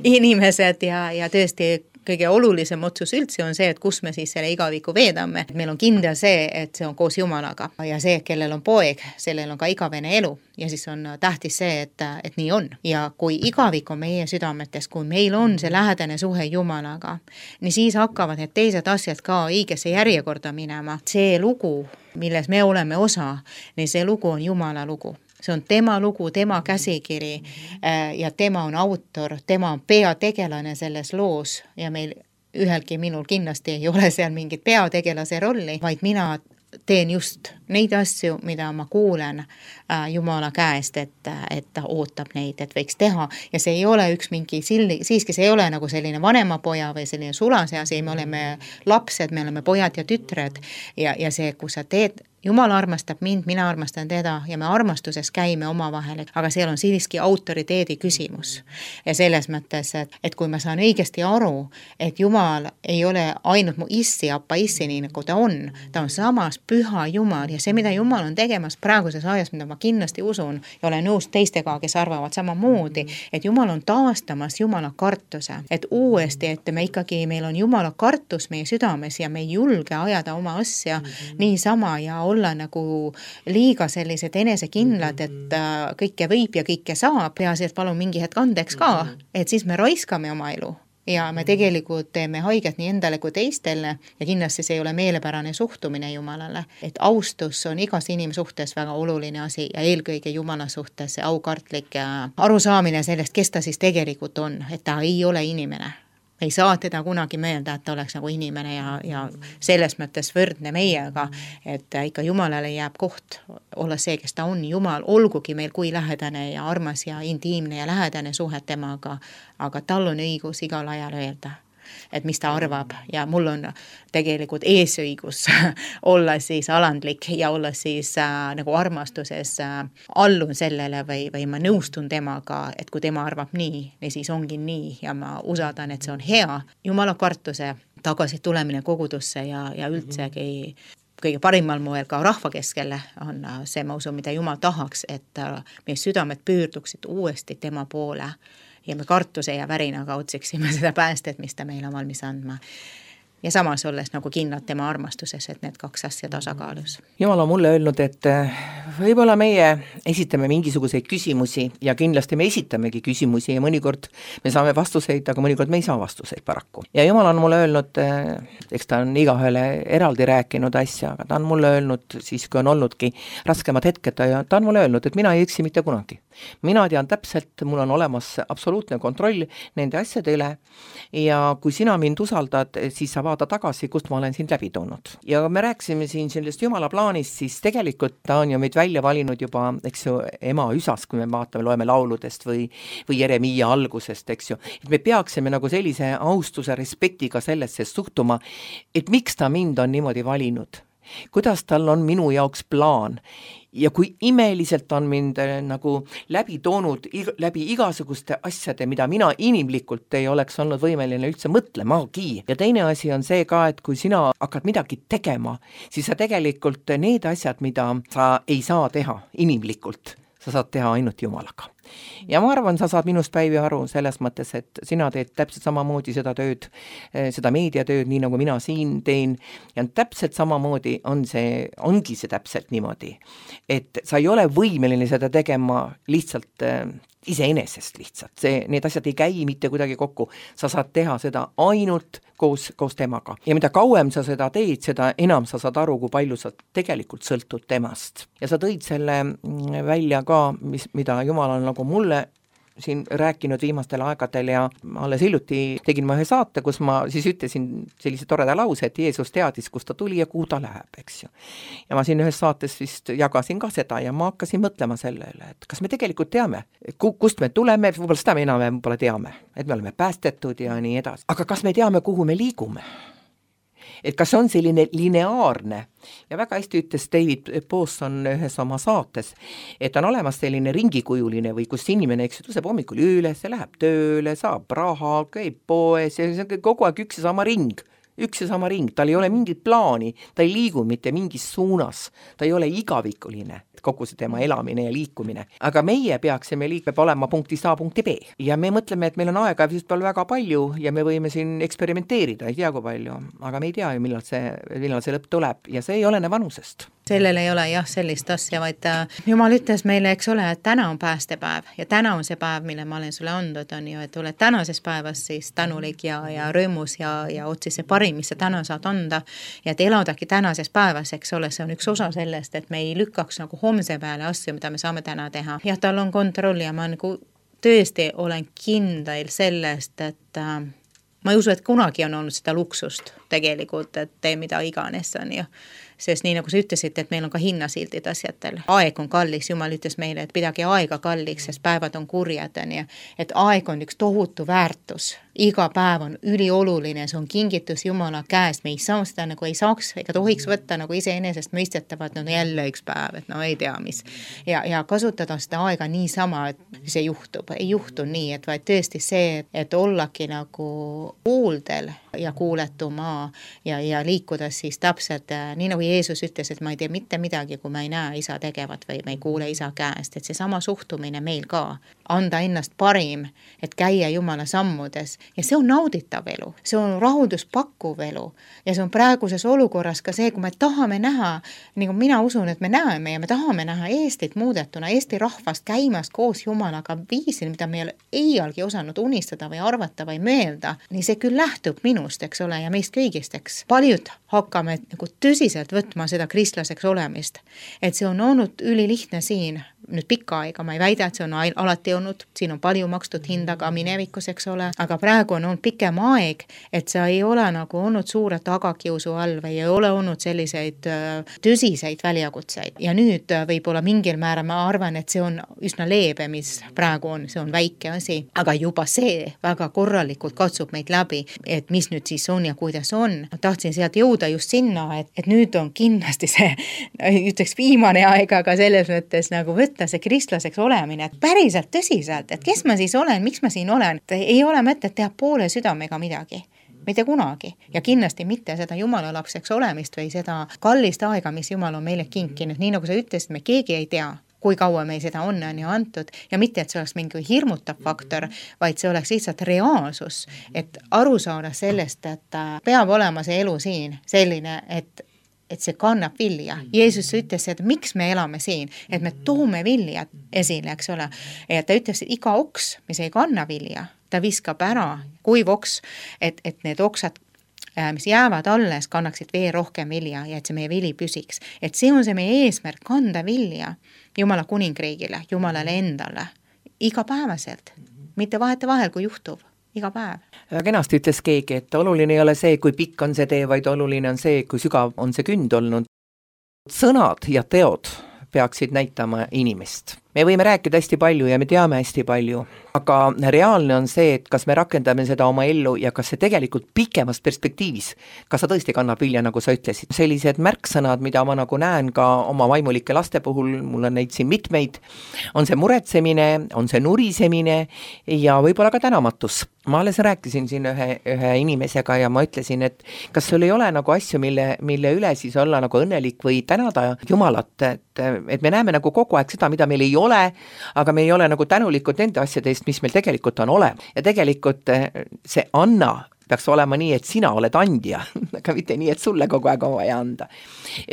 inimesed ja tõesti kõige olulisem otsus üldse on see, et kus me siis selle igaviku veedame. Meil on kindel see, et see on koos Jumalaga ja see, kellel on poeg, sellel on ka igavene elu ja siis on tähtis see, et nii on. Ja kui igavik on meie südametes, kui meil on see lähedane suhe Jumalaga, nii siis hakkavad need teised asjad ka õigesse järjekorda minema. See lugu, milles me oleme osa, nii see lugu on Jumala lugu. See on tema lugu, tema käsikiri ja tema on autor, tema on peategelane selles loos ja meil ühelgi minul kindlasti ei ole seal mingit peategelase rolli, vaid mina teen just neid asju, mida ma kuulen Jumala käest, et ta ootab neid, et võiks teha ja see ei ole üks mingi siiski see ei ole nagu selline vanemapoja või selline sulase asi, me oleme lapsed, me oleme pojad ja tütred ja see, kui sa teed Jumal armastab mind, mina armastan teda ja me armastuses käime omavahel, aga seal on siiski autoriteedi küsimus. Ja selles mõttes, et kui ma saan õigesti aru, et Jumal ei ole ainult mu issi, appa issi, nii nagu ta on samas püha Jumal ja see, mida Jumal on tegemas praeguses ajas, mida ma kindlasti usun ja olen nõus teistega, kes arvavad samamoodi, et Jumal on taastamas Jumala kartuse, et uuesti, et me ikkagi, meil on Jumala kartus meie südames ja me ei julge ajada oma asja niisama ja olla nagu liiga sellised enesekindlad, et kõike võib ja kõike saab, peaasi, et palun mingi hetk andeks ka, et siis me raiskame oma elu ja me tegelikult teeme haiget nii endale kui teistele ja kindlasti see ei ole meelepärane suhtumine Jumalale. Et austus on igas inimsuhtes väga oluline asi ja eelkõige Jumala suhtes see aukartlik arusaamine sellest, kes ta siis tegelikult on, et ta ei ole inimene. Ei saa teda kunagi meelda, et ta oleks nagu inimene ja selles mõttes võrdne meiega, et ikka Jumalale jääb koht olla see, kes ta on. Jumal olgugi meil kui lähedane ja armas ja intiimne ja lähedane suhe temaga, aga tal on õigus igal ajal öelda, et mis ta arvab ja mul on tegelikult eesõigus olla siis alandlik ja olla siis nagu armastuses allun sellele või ma nõustun temaga, et kui tema arvab nii, siis ongi nii ja ma usaldan, et see on hea. Jumala kartuse tagasi tulemine kogudusse ja üldsegi kõige parimal moel ka rahva keskele on see, ma usun, mida Jumal tahaks, et meie südamed pöörduksid uuesti tema poole ja me kartuse ja värinaga otsiksime seda päästet, mis ta meil on valmis andma. Ja samas olles nagu kindlad tema armastuses, et need kaks asja tasakaalus. Jumal on mulle öelnud, et võib-olla meie esitame mingisuguseid küsimusi ja kindlasti me esitamegi küsimusi ja mõnikord me saame vastuseid, aga mõnikord me ei saa vastuseid paraku. Ja Jumal on mulle öelnud, eks ta on igahele eraldi rääkinud asja, aga ta on mulle öelnud, siis kui on olnudki raskemad hetked ja ta on mulle öelnud, et mina ei eksi mitte kunagi. Mina tean täpselt, mul on olemas absoluutne kontroll nende asjade üle ja kui sina mind usaldad, siis sa vaata tagasi, kust ma olen sind läbi toonud. Ja me rääkisime siin sellest Jumala plaanist, siis tegelikult ta on ju meid välja valinud juba, eks ju, ema üsas, kui me vaatame, loeme lauludest või Jeremiia algusest, eks ju. Et me peaksime nagu sellise austuse, respektiga sellesse suhtuma, et miks ta mind on niimoodi valinud. Kuidas tal on minu jaoks plaan ja kui imeliselt on mind nagu läbi toonud läbi igasuguste asjade, mida mina inimlikult ei oleks olnud võimeline üldse mõtlemagi. Ja teine asi on see ka, et kui sina hakkad midagi tegema, siis sa tegelikult need asjad, mida sa ei saa teha inimlikult, sa saad teha ainult Jumalaga. Ja ma arvan, sa saad minust Päivi aru selles mõttes, et sina teed täpselt samamoodi seda tööd, seda meediatööd, nii nagu mina siin teen ja täpselt samamoodi ongi see täpselt niimoodi, et sa ei ole võimeline seda tegema lihtsalt iseenesest lihtsalt. Need asjad ei käi mitte kuidagi kokku. Sa saad teha seda ainult koos temaga. Ja mida kauem sa seda teed, seda enam sa saad aru, kui palju sa tegelikult sõltud temast. Ja sa tõid selle välja ka, mida Jumal on nagu mulle siin rääkinud viimastel aegadel ja alles hiljuti tegin ma ühe saate, kus ma siis ütlesin sellise toreda lause, et Jeesus teadis, kust ta tuli ja kuhu ta läheb, eks ju. Ja ma siin ühes saates vist jagasin ka seda ja ma hakkasin mõtlema selle üle, et kas me tegelikult teame, kust me tuleme, võib-olla seda me enam võib-olla teame, et me oleme päästetud ja nii edasi. Aga kas me teame, kuhu me liigume? Et kas on selline lineaarne ja väga hästi ütles David Pawson ühes oma saates, et on olemas selline ringikujuline või kus inimene, eks tõuseb hommikul üles, läheb tööle, saab raha, käib poes ja see on kogu aeg üks ja sama ring, tal ei ole mingit plaani, ta ei liigu mitte mingis suunas, ta ei ole igavikuline, kogu see tema elamine ja liikumine. Aga meie peaksime olema punktist A punkti B. Ja me mõtleme, et meil on aega vist väga palju ja me võime siin eksperimenteerida, ei tea kui palju, aga me ei tea ju, millal see lõpp tuleb ja see ei olene vanusest. Sellel ei ole jah sellist asja, vaid Jumal ütles meile, eks ole, et täna on päästepäev ja täna on see päev, mille ma olen sulle andnud, on ju, et oled tänases päevas siis tänulik ja rõõmus ja otsi see parim, mis sa täna saad anda ja et eladagi tänases päevas, eks ole, see on üks osa sellest, et me ei lükkaks nagu homse peale asju, mida me saame täna teha. Ja tal on kontroll ja ma nagu tõesti olen kindel sellest, et ma ei usu, et kunagi on olnud seda luksust tegelikult, et tee mida iganes on ju. sest nii nagu sa ütlesid, et meil on ka hinnasildid asjadel. Aeg on kallis, Jumal ütles meile, et pidage aega kalliks, sest päevad on kurjad, et aeg on üks tohutu väärtus. Iga päev on ülioluline, see on kingitus Jumala käest, me ei saa seda nagu ei saaks ega tohiks võtta nagu iseenesest mõistetavad, no jälle üks päev, et no ei tea mis. Ja kasutada seda aega niisama, et see juhtub, ei juhtu nii, et vaid tõesti see, et ollagi nagu kuuldel ja kuuletuma ja liikuda siis täpselt, nii nagu Jeesus ütles, et ma ei tee mitte midagi, kui ma ei näe isa tegevat või ma ei kuule isa käest, et see sama suhtumine meil ka, anda ennast parim, et käia Jumala sammudes ja see on nauditav elu, see on rahulduspakkuv elu ja see on praeguses olukorras ka see, kui me tahame näha, nagu mina usun, et me näeme ja me tahame näha Eestit muudetuna, Eesti rahvast käimas koos Jumalaga viisil, mida me ei iialgi osanud unistada või arvata või mõelda, nii see küll lähtub minust, eks ole, ja meist kõigist, eks. Paljud hakkame nagu tõsiselt võtma seda kristlaseks olemist, et see on olnud ülilihtne siin, nüüd pikka aega, ma ei väida, et see on alati olnud, siin on palju makstud hinda ka minevikus, eks ole, aga praegu on olnud pikem aeg, et sa ei ole nagu olnud suure tagakiusu all või ei ole olnud selliseid tõsiseid väljakutseid ja nüüd võib-olla mingil määral ma arvan, et see on üsna leebe, mis praegu on, see on väike asi, aga juba see väga korralikult katsub meid läbi, et mis nüüd siis on ja kuidas on. Ma tahtsin sealt jõuda just sinna, et nüüd on kindlasti see, ütleks viimane aeg, aga selles mõttes nagu võtta see kristlaseks olemine, et päriselt tõsiselt, et kes ma siis olen, miks ma siin olen, ei ole mõtet teha poole südamega midagi, mitte kunagi ja kindlasti mitte seda Jumala lapseks olemist või seda kallist aega, mis Jumal on meile kinkinud, nii nagu sa ütlesid, me keegi ei tea, kui kaua meil seda on ju antud ja mitte, et see oleks mingi hirmutav faktor, vaid see oleks lihtsalt reaalsus, et aru saada sellest, et peab olema see elu siin selline, et see kannab vilja. Jeesus ütles, et miks me elame siin, et me toome vilja esile, eks ole. Ja ta ütles, et iga oks, mis ei kanna vilja, ta viskab ära kuiv oks, et need oksad, mis jäävad alles, kannaksid veel rohkem vilja ja et see meie vili püsiks. Et see on see meie eesmärk, kanda vilja Jumala kuningriigile, Jumalale endale, igapäevaselt, mitte vahetevahel, kui juhtub. Iga päev. Kenasti ütles keegi, et oluline ei ole see, kui pikk on see tee, vaid oluline on see, kui sügav on see künd olnud. Sõnad ja teod peaksid näitama inimest. Me võime rääkida hästi palju ja me teame hästi palju, aga reaalne on see, et kas me rakendame seda oma ellu ja kas see tegelikult pikemas perspektiivis, kas sa tõesti kannab vilja, nagu sa ütlesid. Sellised märksõnad, mida ma nagu näen ka oma vaimulike laste puhul, mul on neid siin mitmeid, on see muretsemine, on see nurisemine ja võib-olla ka tänamatus. Ma alles rääkisin siin ühe inimesega ja ma ütlesin, et kas sul ei ole nagu asju, mille üle siis olla nagu õnnelik või tänada Jumalat, et me näeme nagu kogu aeg seda, mida meil ei ole, aga me ei ole nagu tänulikud nende asjade eest, mis meil tegelikult on olemas. Ja tegelikult see anna peaks olema nii, et sina oled andja, aga mitte nii, et sulle kogu aeg on vaja anda.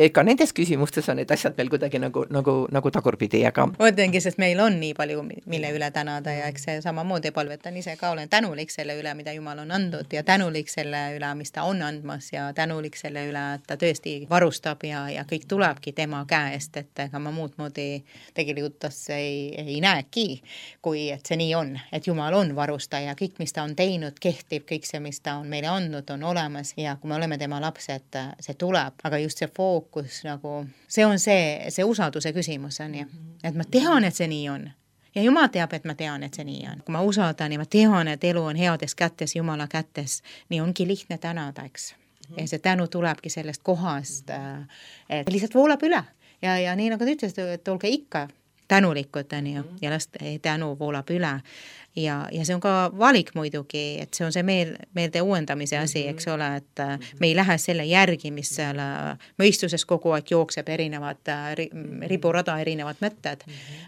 Ka nendes küsimustes on need asjad veel kuidagi nagu tagurpidi, aga mõtlengi, sest meil on nii palju, mille üle tänada ja eks see samamoodi palvetan ise ka, olen tänulik selle üle, mida Jumal on andnud ja tänulik selle üle, mis ta on andmas ja tänulik selle üle, et ta tõesti varustab ja kõik tulebki tema käest, et ega ma muud moodi tegelikult ei näeki, kui et see nii on, et Jumal on varustaja, kõik, mis ta on teinud, kehtib, kõik see, mis ta on meile andnud, on olemas ja kui me oleme tema lapsed, see tuleb, aga just see fookus nagu, see on see usalduse küsimus on ju, et ma tean, et see nii on ja Jumal teab, et ma tean, et see nii on. Kui ma usaldan ja ma tean, et elu on heades kätes, Jumala kätes, nii ongi lihtne tänada, eks. Ja see tänu tulebki sellest kohast, et lihtsalt voolab üle ja nii nagu te ütlesid, et olge ikka tänulikud on ju ja last tänu voolab üle ja see on ka valik muidugi, et see on see meelde uuendamise asi, eks ole, et me ei lähe selle järgi, mis seal mõistuses kogu aeg jookseb erinevad riburada erinevad mõtted,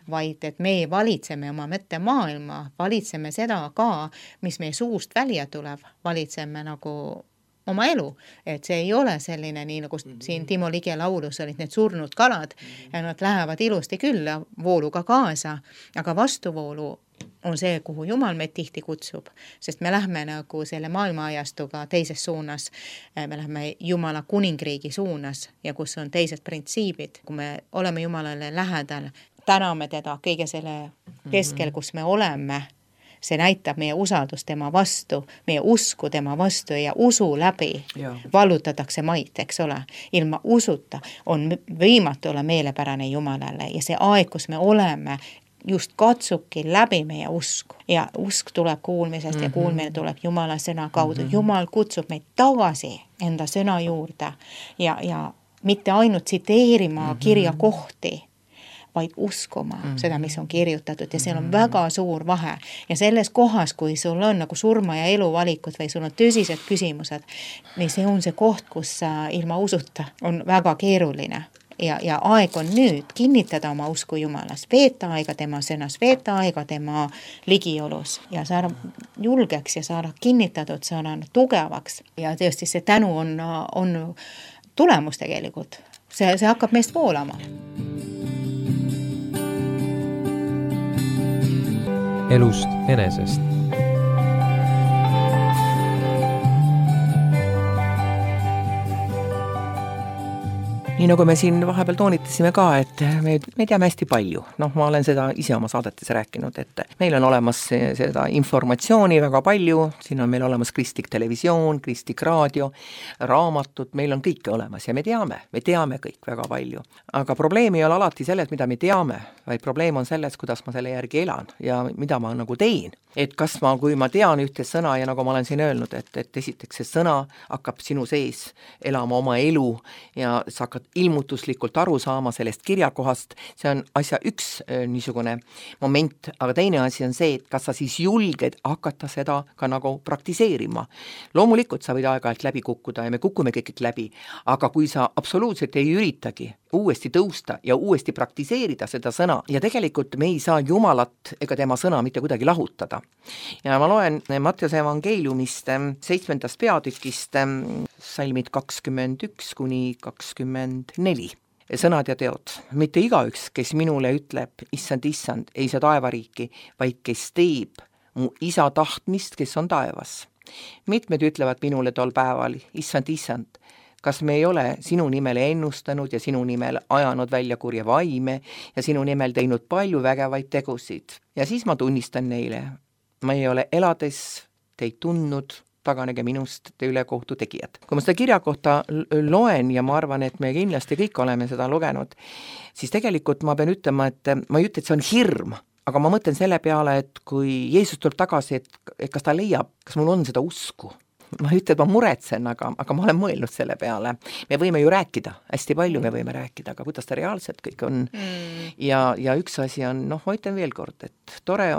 vaid et me valitseme oma mõttemaailma, valitseme seda ka, mis meie suust välja tuleb, valitseme nagu oma elu, et see ei ole selline, nii nagu siin Timo Lige laulus olid need surnud kalad ja nad lähevad ilusti küll vooluga kaasa, aga vastuvoolu on see, kuhu Jumal meid tihti kutsub, sest me lähme nagu selle maailmaajastuga teises suunas, me lähme Jumala kuningriigi suunas ja kus on teised printsiibid, kui me oleme Jumalale lähedal, täname teda kõige selle keskel, kus me oleme, see näitab meie usaldust tema vastu, meie usku tema vastu ja usu läbi vallutatakse maid, eks ole. Ilma usuta on võimatu olla meelepärane Jumalale ja see aeg, kus me oleme, just katsubki läbi meie usku ja usk tuleb kuulmisest ja kuulmine tuleb Jumala sõna kaudu. Jumal kutsub meid tagasi enda sõna juurde ja mitte ainult tsiteerima kirja kohti, vaid uskuma seda, mis on kirjutatud ja seal on väga suur vahe. Ja selles kohas, kui sul on nagu surma ja elu valikud või sul on tõsised küsimused, niin see on see koht, kus ilma usuta on väga keeruline. Ja aeg on nüüd kinnitada oma usku Jumalas, veeta aega tema sõnas, veeta aega tema ligiolus ja saada julgeks ja saada kinnitatud, saada tugevaks. Ja tõesti see tänu on tulemus tegelikult. See hakkab meist voolama. Elust enesest. Nii nagu me siin vahepeal toonitasime ka, et me teame hästi palju. Ma olen seda ise oma saadetes rääkinud, et meil on olemas seda informatsiooni väga palju, siin on meil olemas kristlik televisioon, kristlik raadio, raamatud, meil on kõike olemas ja me teame kõik väga palju. Aga probleem ei ole alati selles, mida me teame, vaid probleem on selles, kuidas ma selle järgi elan ja mida ma nagu teen. Et kas kui ma tean ühte sõna ja nagu ma olen siin öelnud, et esiteks see sõna hakkab sinu sees elama oma elu ja sa hakkad ilmutuslikult aru saama sellest kirjakohast, see on asja üks niisugune moment, aga teine asi on see, et kas sa siis julged hakata seda ka nagu praktiseerima. Loomulikult sa võid aeg-ajalt läbi kukkuda ja me kukume kõik läbi, aga kui sa absoluutselt ei üritagi uuesti tõusta ja uuesti praktiseerida seda sõna ja tegelikult me ei saa Jumalat ega tema sõna mitte kuidagi lahutada. Ja ma loen Mattiuse evangeeliumist 7. peatükist salmid 21 kuni 24. Sõnad ja teod. Mitte igaüks, kes minule ütleb, issand, ei saa taevariiki, vaid kes teeb mu isa tahtmist, kes on taevas. Mitmed ütlevad minule tol päeval, issand, kas me ei ole sinu nimel ennustanud ja sinu nimel ajanud välja kurja vaime ja sinu nimel teinud palju vägevaid tegusid. Ja siis ma tunnistan neile, ma ei ole elades teid tundnud, taganege minust te ülekohtu tegijad. Kui ma seda kirja kohta loen ja ma arvan, et me kindlasti kõik oleme seda lugenud, siis tegelikult ma pean ütlema, et ma ei ütle, et see on hirm, aga ma mõtlen selle peale, et kui Jeesus tuleb tagasi, et kas ta leiab, kas mul on seda usku. Ma ütlen, et ma muretsen, aga ma olen mõelnud selle peale. Me võime ju rääkida, hästi palju me võime rääkida, aga kuidas ta reaalselt kõik on. Ja üks asi on, ma ütlen veel kord, et tore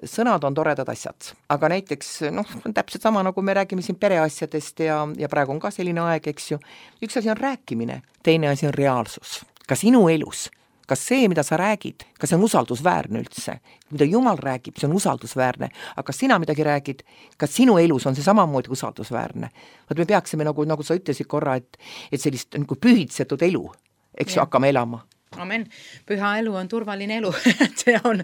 sõnad on toredad asjad. Aga näiteks, täpselt sama nagu me räägime siin pereasjadest ja praegu on ka selline aeg, eks ju. Üks asi on rääkimine, teine asi on reaalsus. Ka sinu elus. Kas see, mida sa räägid, kas see on usaldusväärne üldse? Mida Jumal räägib, see on usaldusväärne. Aga kas sina midagi räägid, kas sinu elus on see samamoodi usaldusväärne? Me peaksime, nagu sa ütlesid korra, et sellist nagu pühitsetud elu, eks ju, hakkame elama. Amen. Püha elu on turvaline elu. see on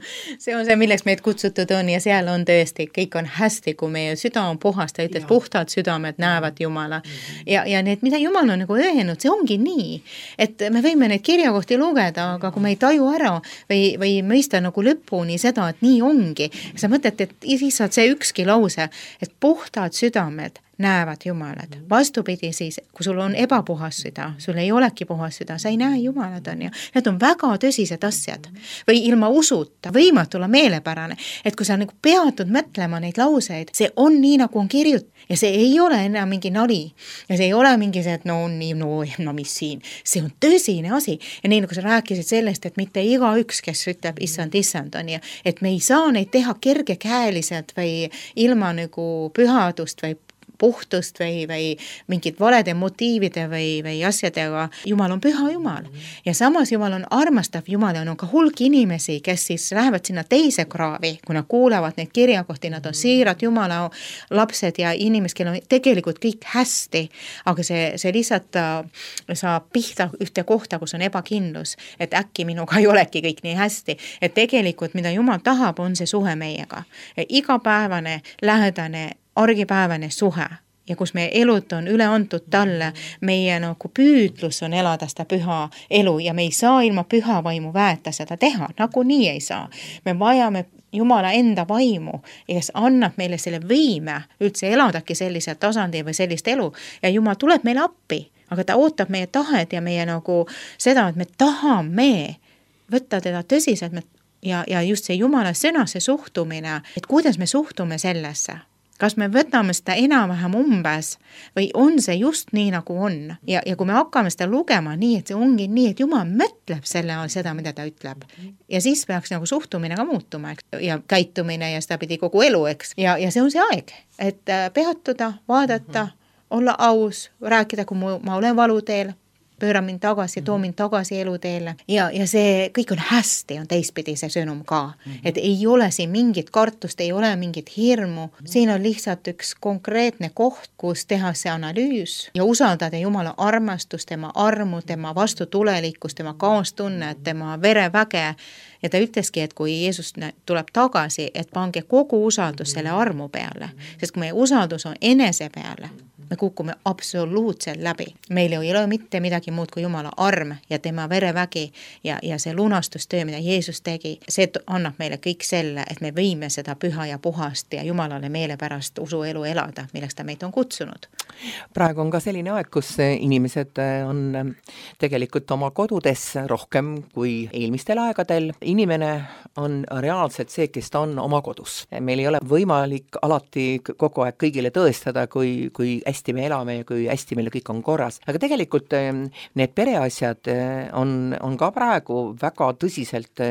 see, milleks meid kutsutud on ja seal on tõesti, kõik on hästi, kui meie süda on puhas, ta ütles, puhtad südamed näevad Jumala. Ja need, mida Jumal on nagu öelnud, see ongi nii, et me võime neid kirjakohti lugeda, aga kui me ei taju ära või mõista nagu lõpuni seda, et nii ongi, sa mõtled, et lihtsalt see ükski lause, et puhtad südamed näevad Jumalat. Vastupidi siis, kui sul on ebapuhas süda, sul ei olegi puhas süda, sa ei näe Jumalat, on ju. Need on väga tõsised asjad. Või ilma usuta, võimatu olla meelepärane. Et kui sa nagu peatud mõtlema neid lauseid, see on nii, nagu on kirjut. Ja see ei ole enam mingi nali. Ja see ei ole mingi see, et mis siin. See on tõsine asi. Ja nii, nagu sa rääkisid sellest, et mitte igaüks, kes ütleb issand, on ju. Et me ei saa neid teha kergekäeliselt või ilma nagu pühadust või puhtust või mingid valede motiivide või asjadega. Jumal on püha Jumal. Ja samas Jumal on armastav Jumal ja on ka hulk inimesi, kes siis lähevad sinna teise kraavi, kui nad kuulevad neid kirjakohti, nad on siirad Jumala lapsed ja inimesed, kellel on tegelikult kõik hästi, aga see lihtsalt saab pihta ühte kohta, kus on ebakindlus, et äkki minuga ei olegi kõik nii hästi, et tegelikult mida Jumal tahab, on see suhe meiega. Igapäevane, lähedane, argipäevane suhe ja kus meie elud on üle antud talle, meie nagu püüdlus on elada seda püha elu ja me ei saa ilma püha vaimu väeta seda teha, nagu nii ei saa. Me vajame Jumala enda vaimu, kes annab meile selle võime üldse eladagi sellisel tasandil või sellist elu ja Jumal tuleb meile appi, aga ta ootab meie tahet ja meie nagu seda, et me tahame võtta teda tõsiselt ja just see Jumala sõna, see suhtumine, et kuidas me suhtume sellesse. Kas me võtame seda enam-vähem umbes või on see just nii, nagu on? Ja kui me hakkame seda lugema nii, et see ongi nii, et Jumal mõtleb selle all seda, mida ta ütleb. Ja siis peaks nagu suhtumine ka muutuma, eks? Ja käitumine ja seda pidi kogu elu, eks? Ja see on see aeg, et peatuda, vaadata, olla aus, rääkida, kui ma olen valuteel, pööra mind tagasi, too mind tagasi eluteele ja see kõik on hästi, on teistpidi see sõnum ka, et ei ole siin mingit kartust, ei ole mingit hirmu, siin on lihtsalt üks konkreetne koht, kus teha see analüüs ja usaldada Jumala armastust, tema armu, tema vastutulelikkust, tema kaastunnet, tema vereväge ja ta ütleski, et kui Jeesus tuleb tagasi, et pange kogu usaldus selle armu peale, sest kui meie usaldus on enese peale, me kukume absoluutselt läbi. Meil ei ole mitte midagi muud kui Jumala arm ja tema verevägi ja see lunastustöö, mida Jeesus tegi, see annab meile kõik selle, et me võime seda püha ja puhast ja Jumalale meele pärast usuelu elada, milleks ta meid on kutsunud. Praegu on ka selline aeg, kus inimesed on tegelikult oma kodudes rohkem kui eelmistel aegadel. Inimene on reaalselt see, kes ta on oma kodus. Meil ei ole võimalik alati kogu aeg kõigile tõestada, kui hästi me elame ja kui hästi meil kõik on korras. Aga tegelikult need pereasjad on ka praegu väga tõsiselt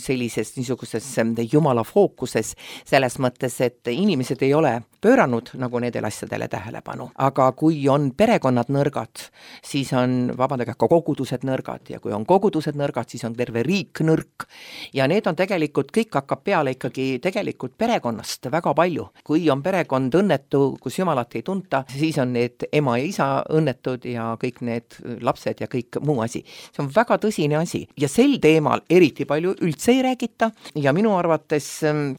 sellises niisuguses Jumala fookuses, selles mõttes, et inimesed ei ole pööranud nagu nendele asjadele tähelepanu. Aga kui on perekonnad nõrgad, siis on, vabandage, ka kogudused nõrgad ja kui on kogudused nõrgad, siis on terve riik nõrk. Ja need on tegelikult, kõik hakkab peale ikkagi tegelikult perekonnast väga palju. Kui on perekond õnnetu, kus Jumalat ei tunta, siis on need ema ja isa õnnetud ja kõik need lapsed ja kõik muu asi. See on väga tõsine asi ja sel teemal eriti palju üldse ei räägita ja minu arvates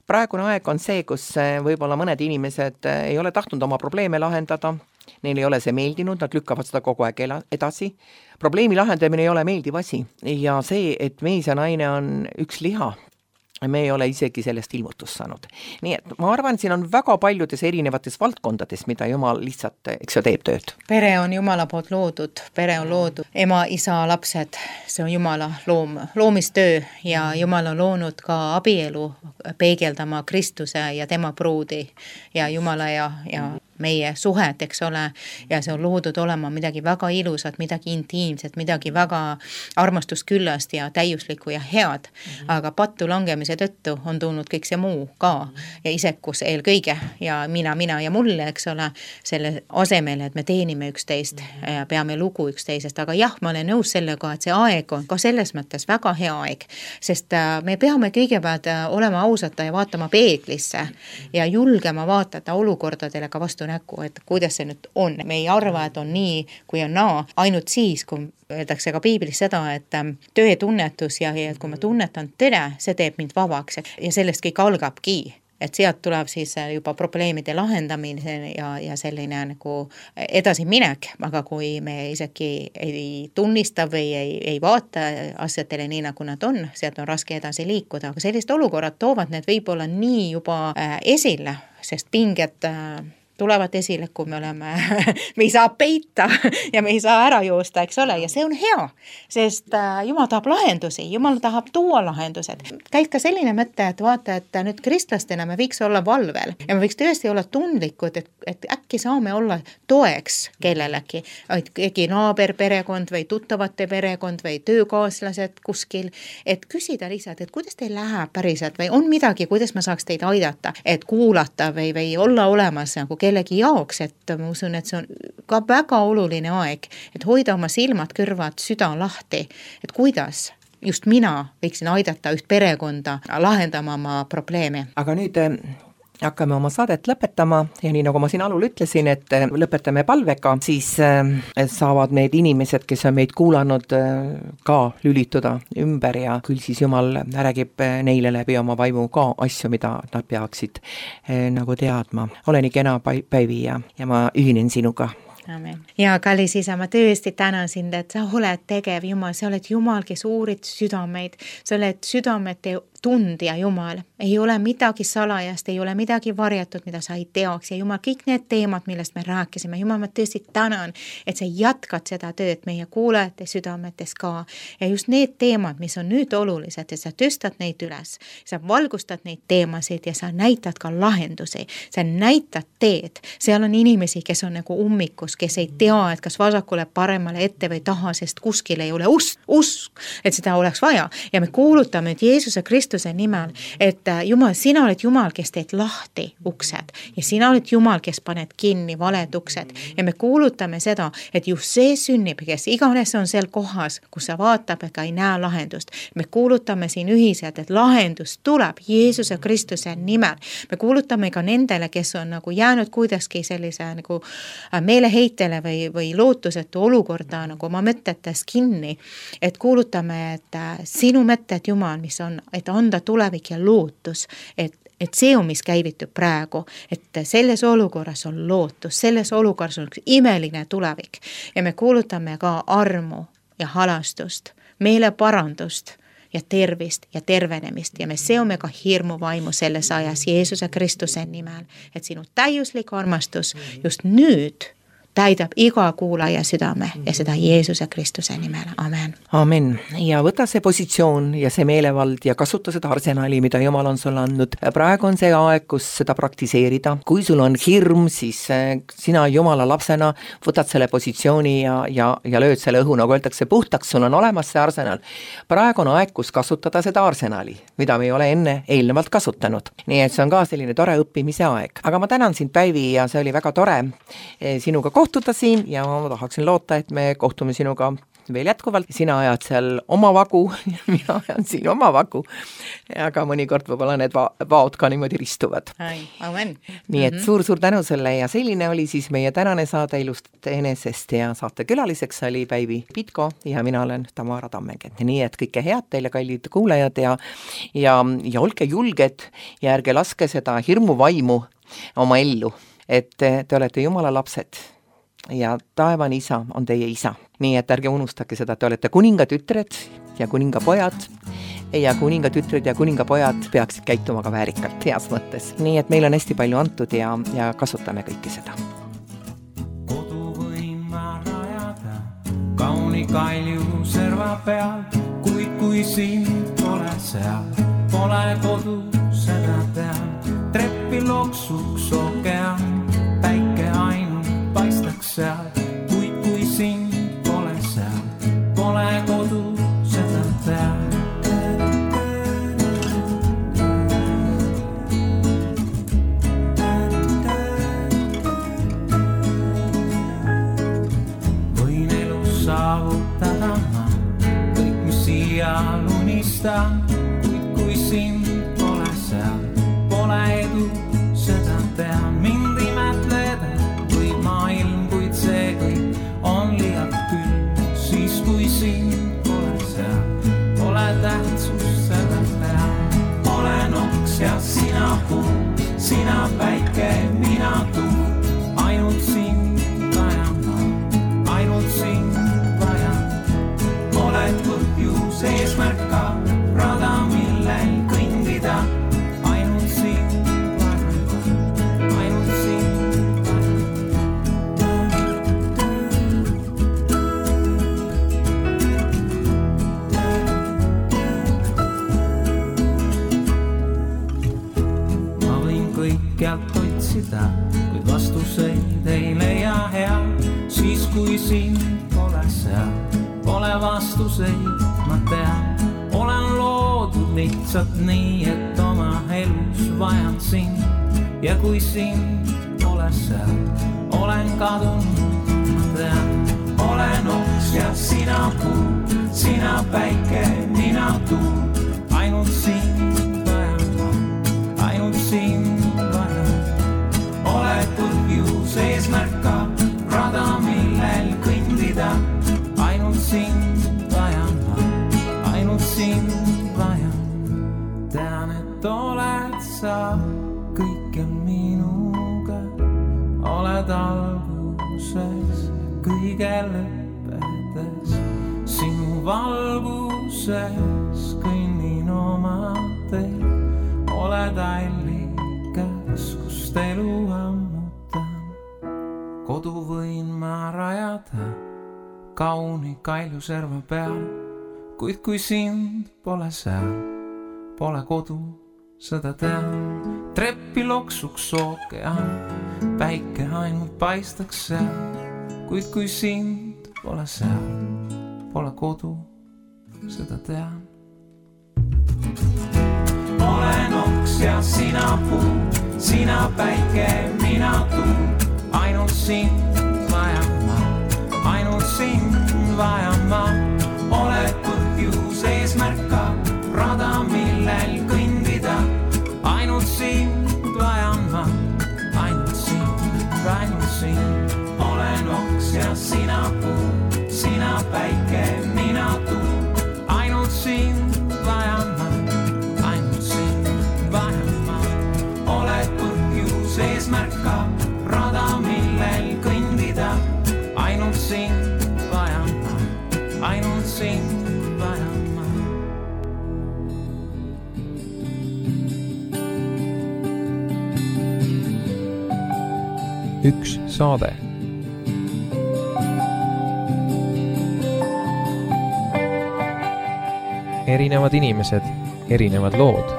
praegune aeg on see, kus võib-olla mõned inimesed ei ole tahtnud oma probleeme lahendada, neil ei ole see meeldinud, nad lükkavad seda kogu aeg edasi. Probleemi lahendamine ei ole meeldiv asi ja see, et mees ja naine on üks liha, me ei ole isegi sellest ilmutust saanud. Nii et ma arvan, siin on väga paljudes erinevates valdkondades, mida Jumal lihtsalt, eks ju, teeb tööd. Pere on Jumala poolt loodud, pere on loodud, ema, isa, lapsed, see on Jumala loomistöö ja Jumal on loonud ka abielu peegeldama Kristuse ja tema pruudi ja Jumala ja meie suhet, eks ole, ja see on loodud olema midagi väga ilusat, midagi intiimset, midagi väga armastusküllast ja täiuslikku ja head, aga pattu langemise tõttu on tulnud kõik see muu ka ja isekus eelkõige ja mina ja mulle, eks ole, selle asemel, et me teenime üksteist ja peame lugu üksteisest, aga jah, ma olen nõus sellega, et see aeg on ka selles mõttes väga hea aeg, sest me peame kõigepealt olema ausata ja vaatama peeglisse ja julgema vaatata olukordadele ka vastu näkku, et kuidas see nüüd on. Me ei arva, et on nii, kui on naa, ainult siis, kui öeldakse ka piiblis seda, et tõe tunnetus ja kui ma tunnetan tõde, see teeb mind vabaks ja sellest kõik algabki. Et sealt tuleb siis juba probleemide lahendamine ja selline nagu edasi minek, aga kui me isegi ei tunnista või ei vaata asjadele nii, nagu nad on, sealt on raske edasi liikuda, aga sellist olukorrad toovad need võib-olla nii juba esile, sest pinged tulevad esile, kui me ei saa peita ja me ei saa ära joosta, eks ole, ja see on hea, sest Jumal tahab lahendusi, Jumal tahab tuua lahendused. Käib ka selline mõte, et vaata, et nüüd kristlastena me võiks olla valvel ja me võiks tõesti olla tundlikud, et äkki saame olla toeks kellelegi, äkki naaber perekond või tuttavate perekond või töökaaslased kuskil, et küsida lihtsalt, et kuidas teil läheb päriselt või on midagi, kuidas ma saaks teid aidata, et kuulata või olla olemas nagu kellegi jaoks, et ma usun, et see on ka väga oluline aeg, et hoida oma silmad, kõrvad, süda lahti, et kuidas just mina võiksin aidata üht perekonda lahendama oma probleeme. Aga nüüd hakkame oma saadet lõpetama ja nii nagu ma siin alul ütlesin, et lõpetame palvega, siis saavad need inimesed, kes on meid kuulanud, ka lülituda ümber ja küll siis Jumal räägib neile läbi oma vaimu ka asju, mida nad peaksid nagu teadma. Ole nii kena, Päivi, ja ma ühinen sinuga. Amen. Ja kallis isa, ma tõesti tänan sind, et sa oled tegev Jumal, sa oled Jumal, kes uurid südameid, sa oled südamete tundja Jumal, ei ole midagi salajast, ei ole midagi varjatud, mida sa ei teaks ja Jumal, kõik need teemad, millest me rääkisime, Jumal, ma tõesti tänan, et sa jätkad seda tööd meie kuulajate südametes ka ja just need teemad, mis on nüüd olulised, et sa tõstad neid üles, sa valgustad neid teemasid ja sa näitad ka lahendusi, sa näitad teed, seal on inimesi, kes on nagu ummikus, kes ei tea, et kas vasakule, paremale, ette või taha, sest kuskil ei ole usk, et seda oleks vaja ja me kuulutame nüüd Jeesuse Kristuse nimel, et Jumal, sina oled Jumal, kes teed lahti uksed ja sina oled Jumal, kes paned kinni valed uksed ja me kuulutame seda, et just see sünnib, kes iganes on seal kohas, kus sa vaatab ega ei näe lahendust. Me kuulutame siin ühiselt, et lahendus tuleb Jeesuse Kristuse nimel. Me kuulutame ka nendele, kes on nagu jäänud kuidagi sellise nagu meeleheitele või lootusetu olukorda nagu oma mõtetes kinni, et kuulutame, et sinu mõtted, Jumal, mis on, et anda tulevik ja lootus, et see on, mis käivitub praegu, et selles olukorras on lootus, selles olukorras on üks imeline tulevik ja me kuulutame ka armu ja halastust, meeleparandust ja tervist ja tervenemist ja me seome ka hirmu vaimu selles ajas Jeesuse Kristuse nimel, et sinu täiuslik armastus just nüüd täidab iga kuulaja südame ja seda Jeesuse Kristuse nimel. Amen. Amen. Ja võta see positsioon ja see meelevald ja kasuta seda arsenali, mida Jumal on sulle andnud. Praegu on see aeg, kus seda praktiseerida. Kui sul on hirm, siis sina Jumala lapsena võtad selle positsiooni ja lööd selle õhu, nagu öeldakse, puhtaks, sul on olemas see arsenal. Praegu on aeg, kus kasutada seda arsenali, mida me ei ole enne eelnevalt kasutanud. Nii et see on ka selline tore õppimise aeg. Aga ma tänan sind, Päivi, ja see oli väga tore sinuga kohtuda siin ja ma tahaksin loota, et me kohtume sinuga veel jätkuvalt. Sina ajad seal oma vagu ja mina ajan siin oma vagu. Aga mõnikord võib-olla need vaod ka niimoodi ristuvad. Amen. Nii et suur-suur tänu sulle ja selline oli siis meie tänane saade Elust enesest ja saate külaliseks oli Päivi Pitko ja mina olen Tamara Tammengent. Nii et kõike head teile, kallid kuulajad ja olge julged ja ärge laske seda hirmuvaimu oma ellu, et te olete Jumala lapsed ja taevane isa on teie isa. Nii et ärge unustage seda, te olete kuningatütred ja kuningapojad ja kuningatütred ja kuningapojad peaksid käituma ka väärikalt heas mõttes. Nii et meil on hästi palju antud ja kasutame kõike seda. Kodu võin ma rajada kauni kalju serva peal, kui sind pole seal, pole kodu, seda tean. Treppi loksuks okean, päike ainult paistaks seal, kui sind pole seal, pole kodu, seda tean. Võin elus saavutada ma kõik, mis siial unistan, kui sind pole seal, pole edu, seda tean. Mind imetleda või maailm, kuid see kõik on liialt küll. Siis kui sind pole seal, pole tähtsust seda teha. Olen oks ja sina puu, sina päike, mina tuul. Ainult sind vajan ma, ainult sind vajan. Oled põhjus eesmärk ka, rada millel kõndida. Kõikjalt otsida, kuid vastuseid ei leia hea. Siis kui sind pole seal, pole vastuseid, ma tean. Olen loodud lihtsalt nii, et oma elus vajan sind. Ja kui sind pole seal, olen kadunud, ma tean. Olen oks ja sina puu, sina päike, mina tuul. Ainult sind vajan, ainult sind. Oled põhjus eesmärk ka, rada millel kõndida. Ainult sind vajan ma, ainult sind vajan. Tean, et oled sa kõikjal minuga. Oled alguses, kõige lõppedes. Sinu valguses kõnnin oma tee. pole tallikas, kust elu ammutan. Kodu võin ma rajada kauni Kaljuserva peal, kuid kui sind pole seal, pole kodu, seda tean. Treppi loksuks ookean, päike ainult paistaks seal, kuid kui sind pole seal, pole kodu, seda tean. Olen oks ja sina puu, sina päike, mina tuum, ainult sind vajan ma, ainult sind vajan ma. Oled põhjus eesmärka, rada millel kõndida, ainult sind vajan ma, ainult sind. Olen oks ja sina puu, sina päike, mina tuum, ainult sind vajan ma, ainult sind vajan ma. Oled põhjus eesmärka, rada millel kõndida, ainult sind vajan ma, ainult sind vajan ma. Üks saade. Erinevad inimesed, erinevad lood.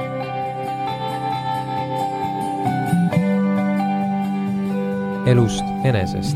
Elust enesest.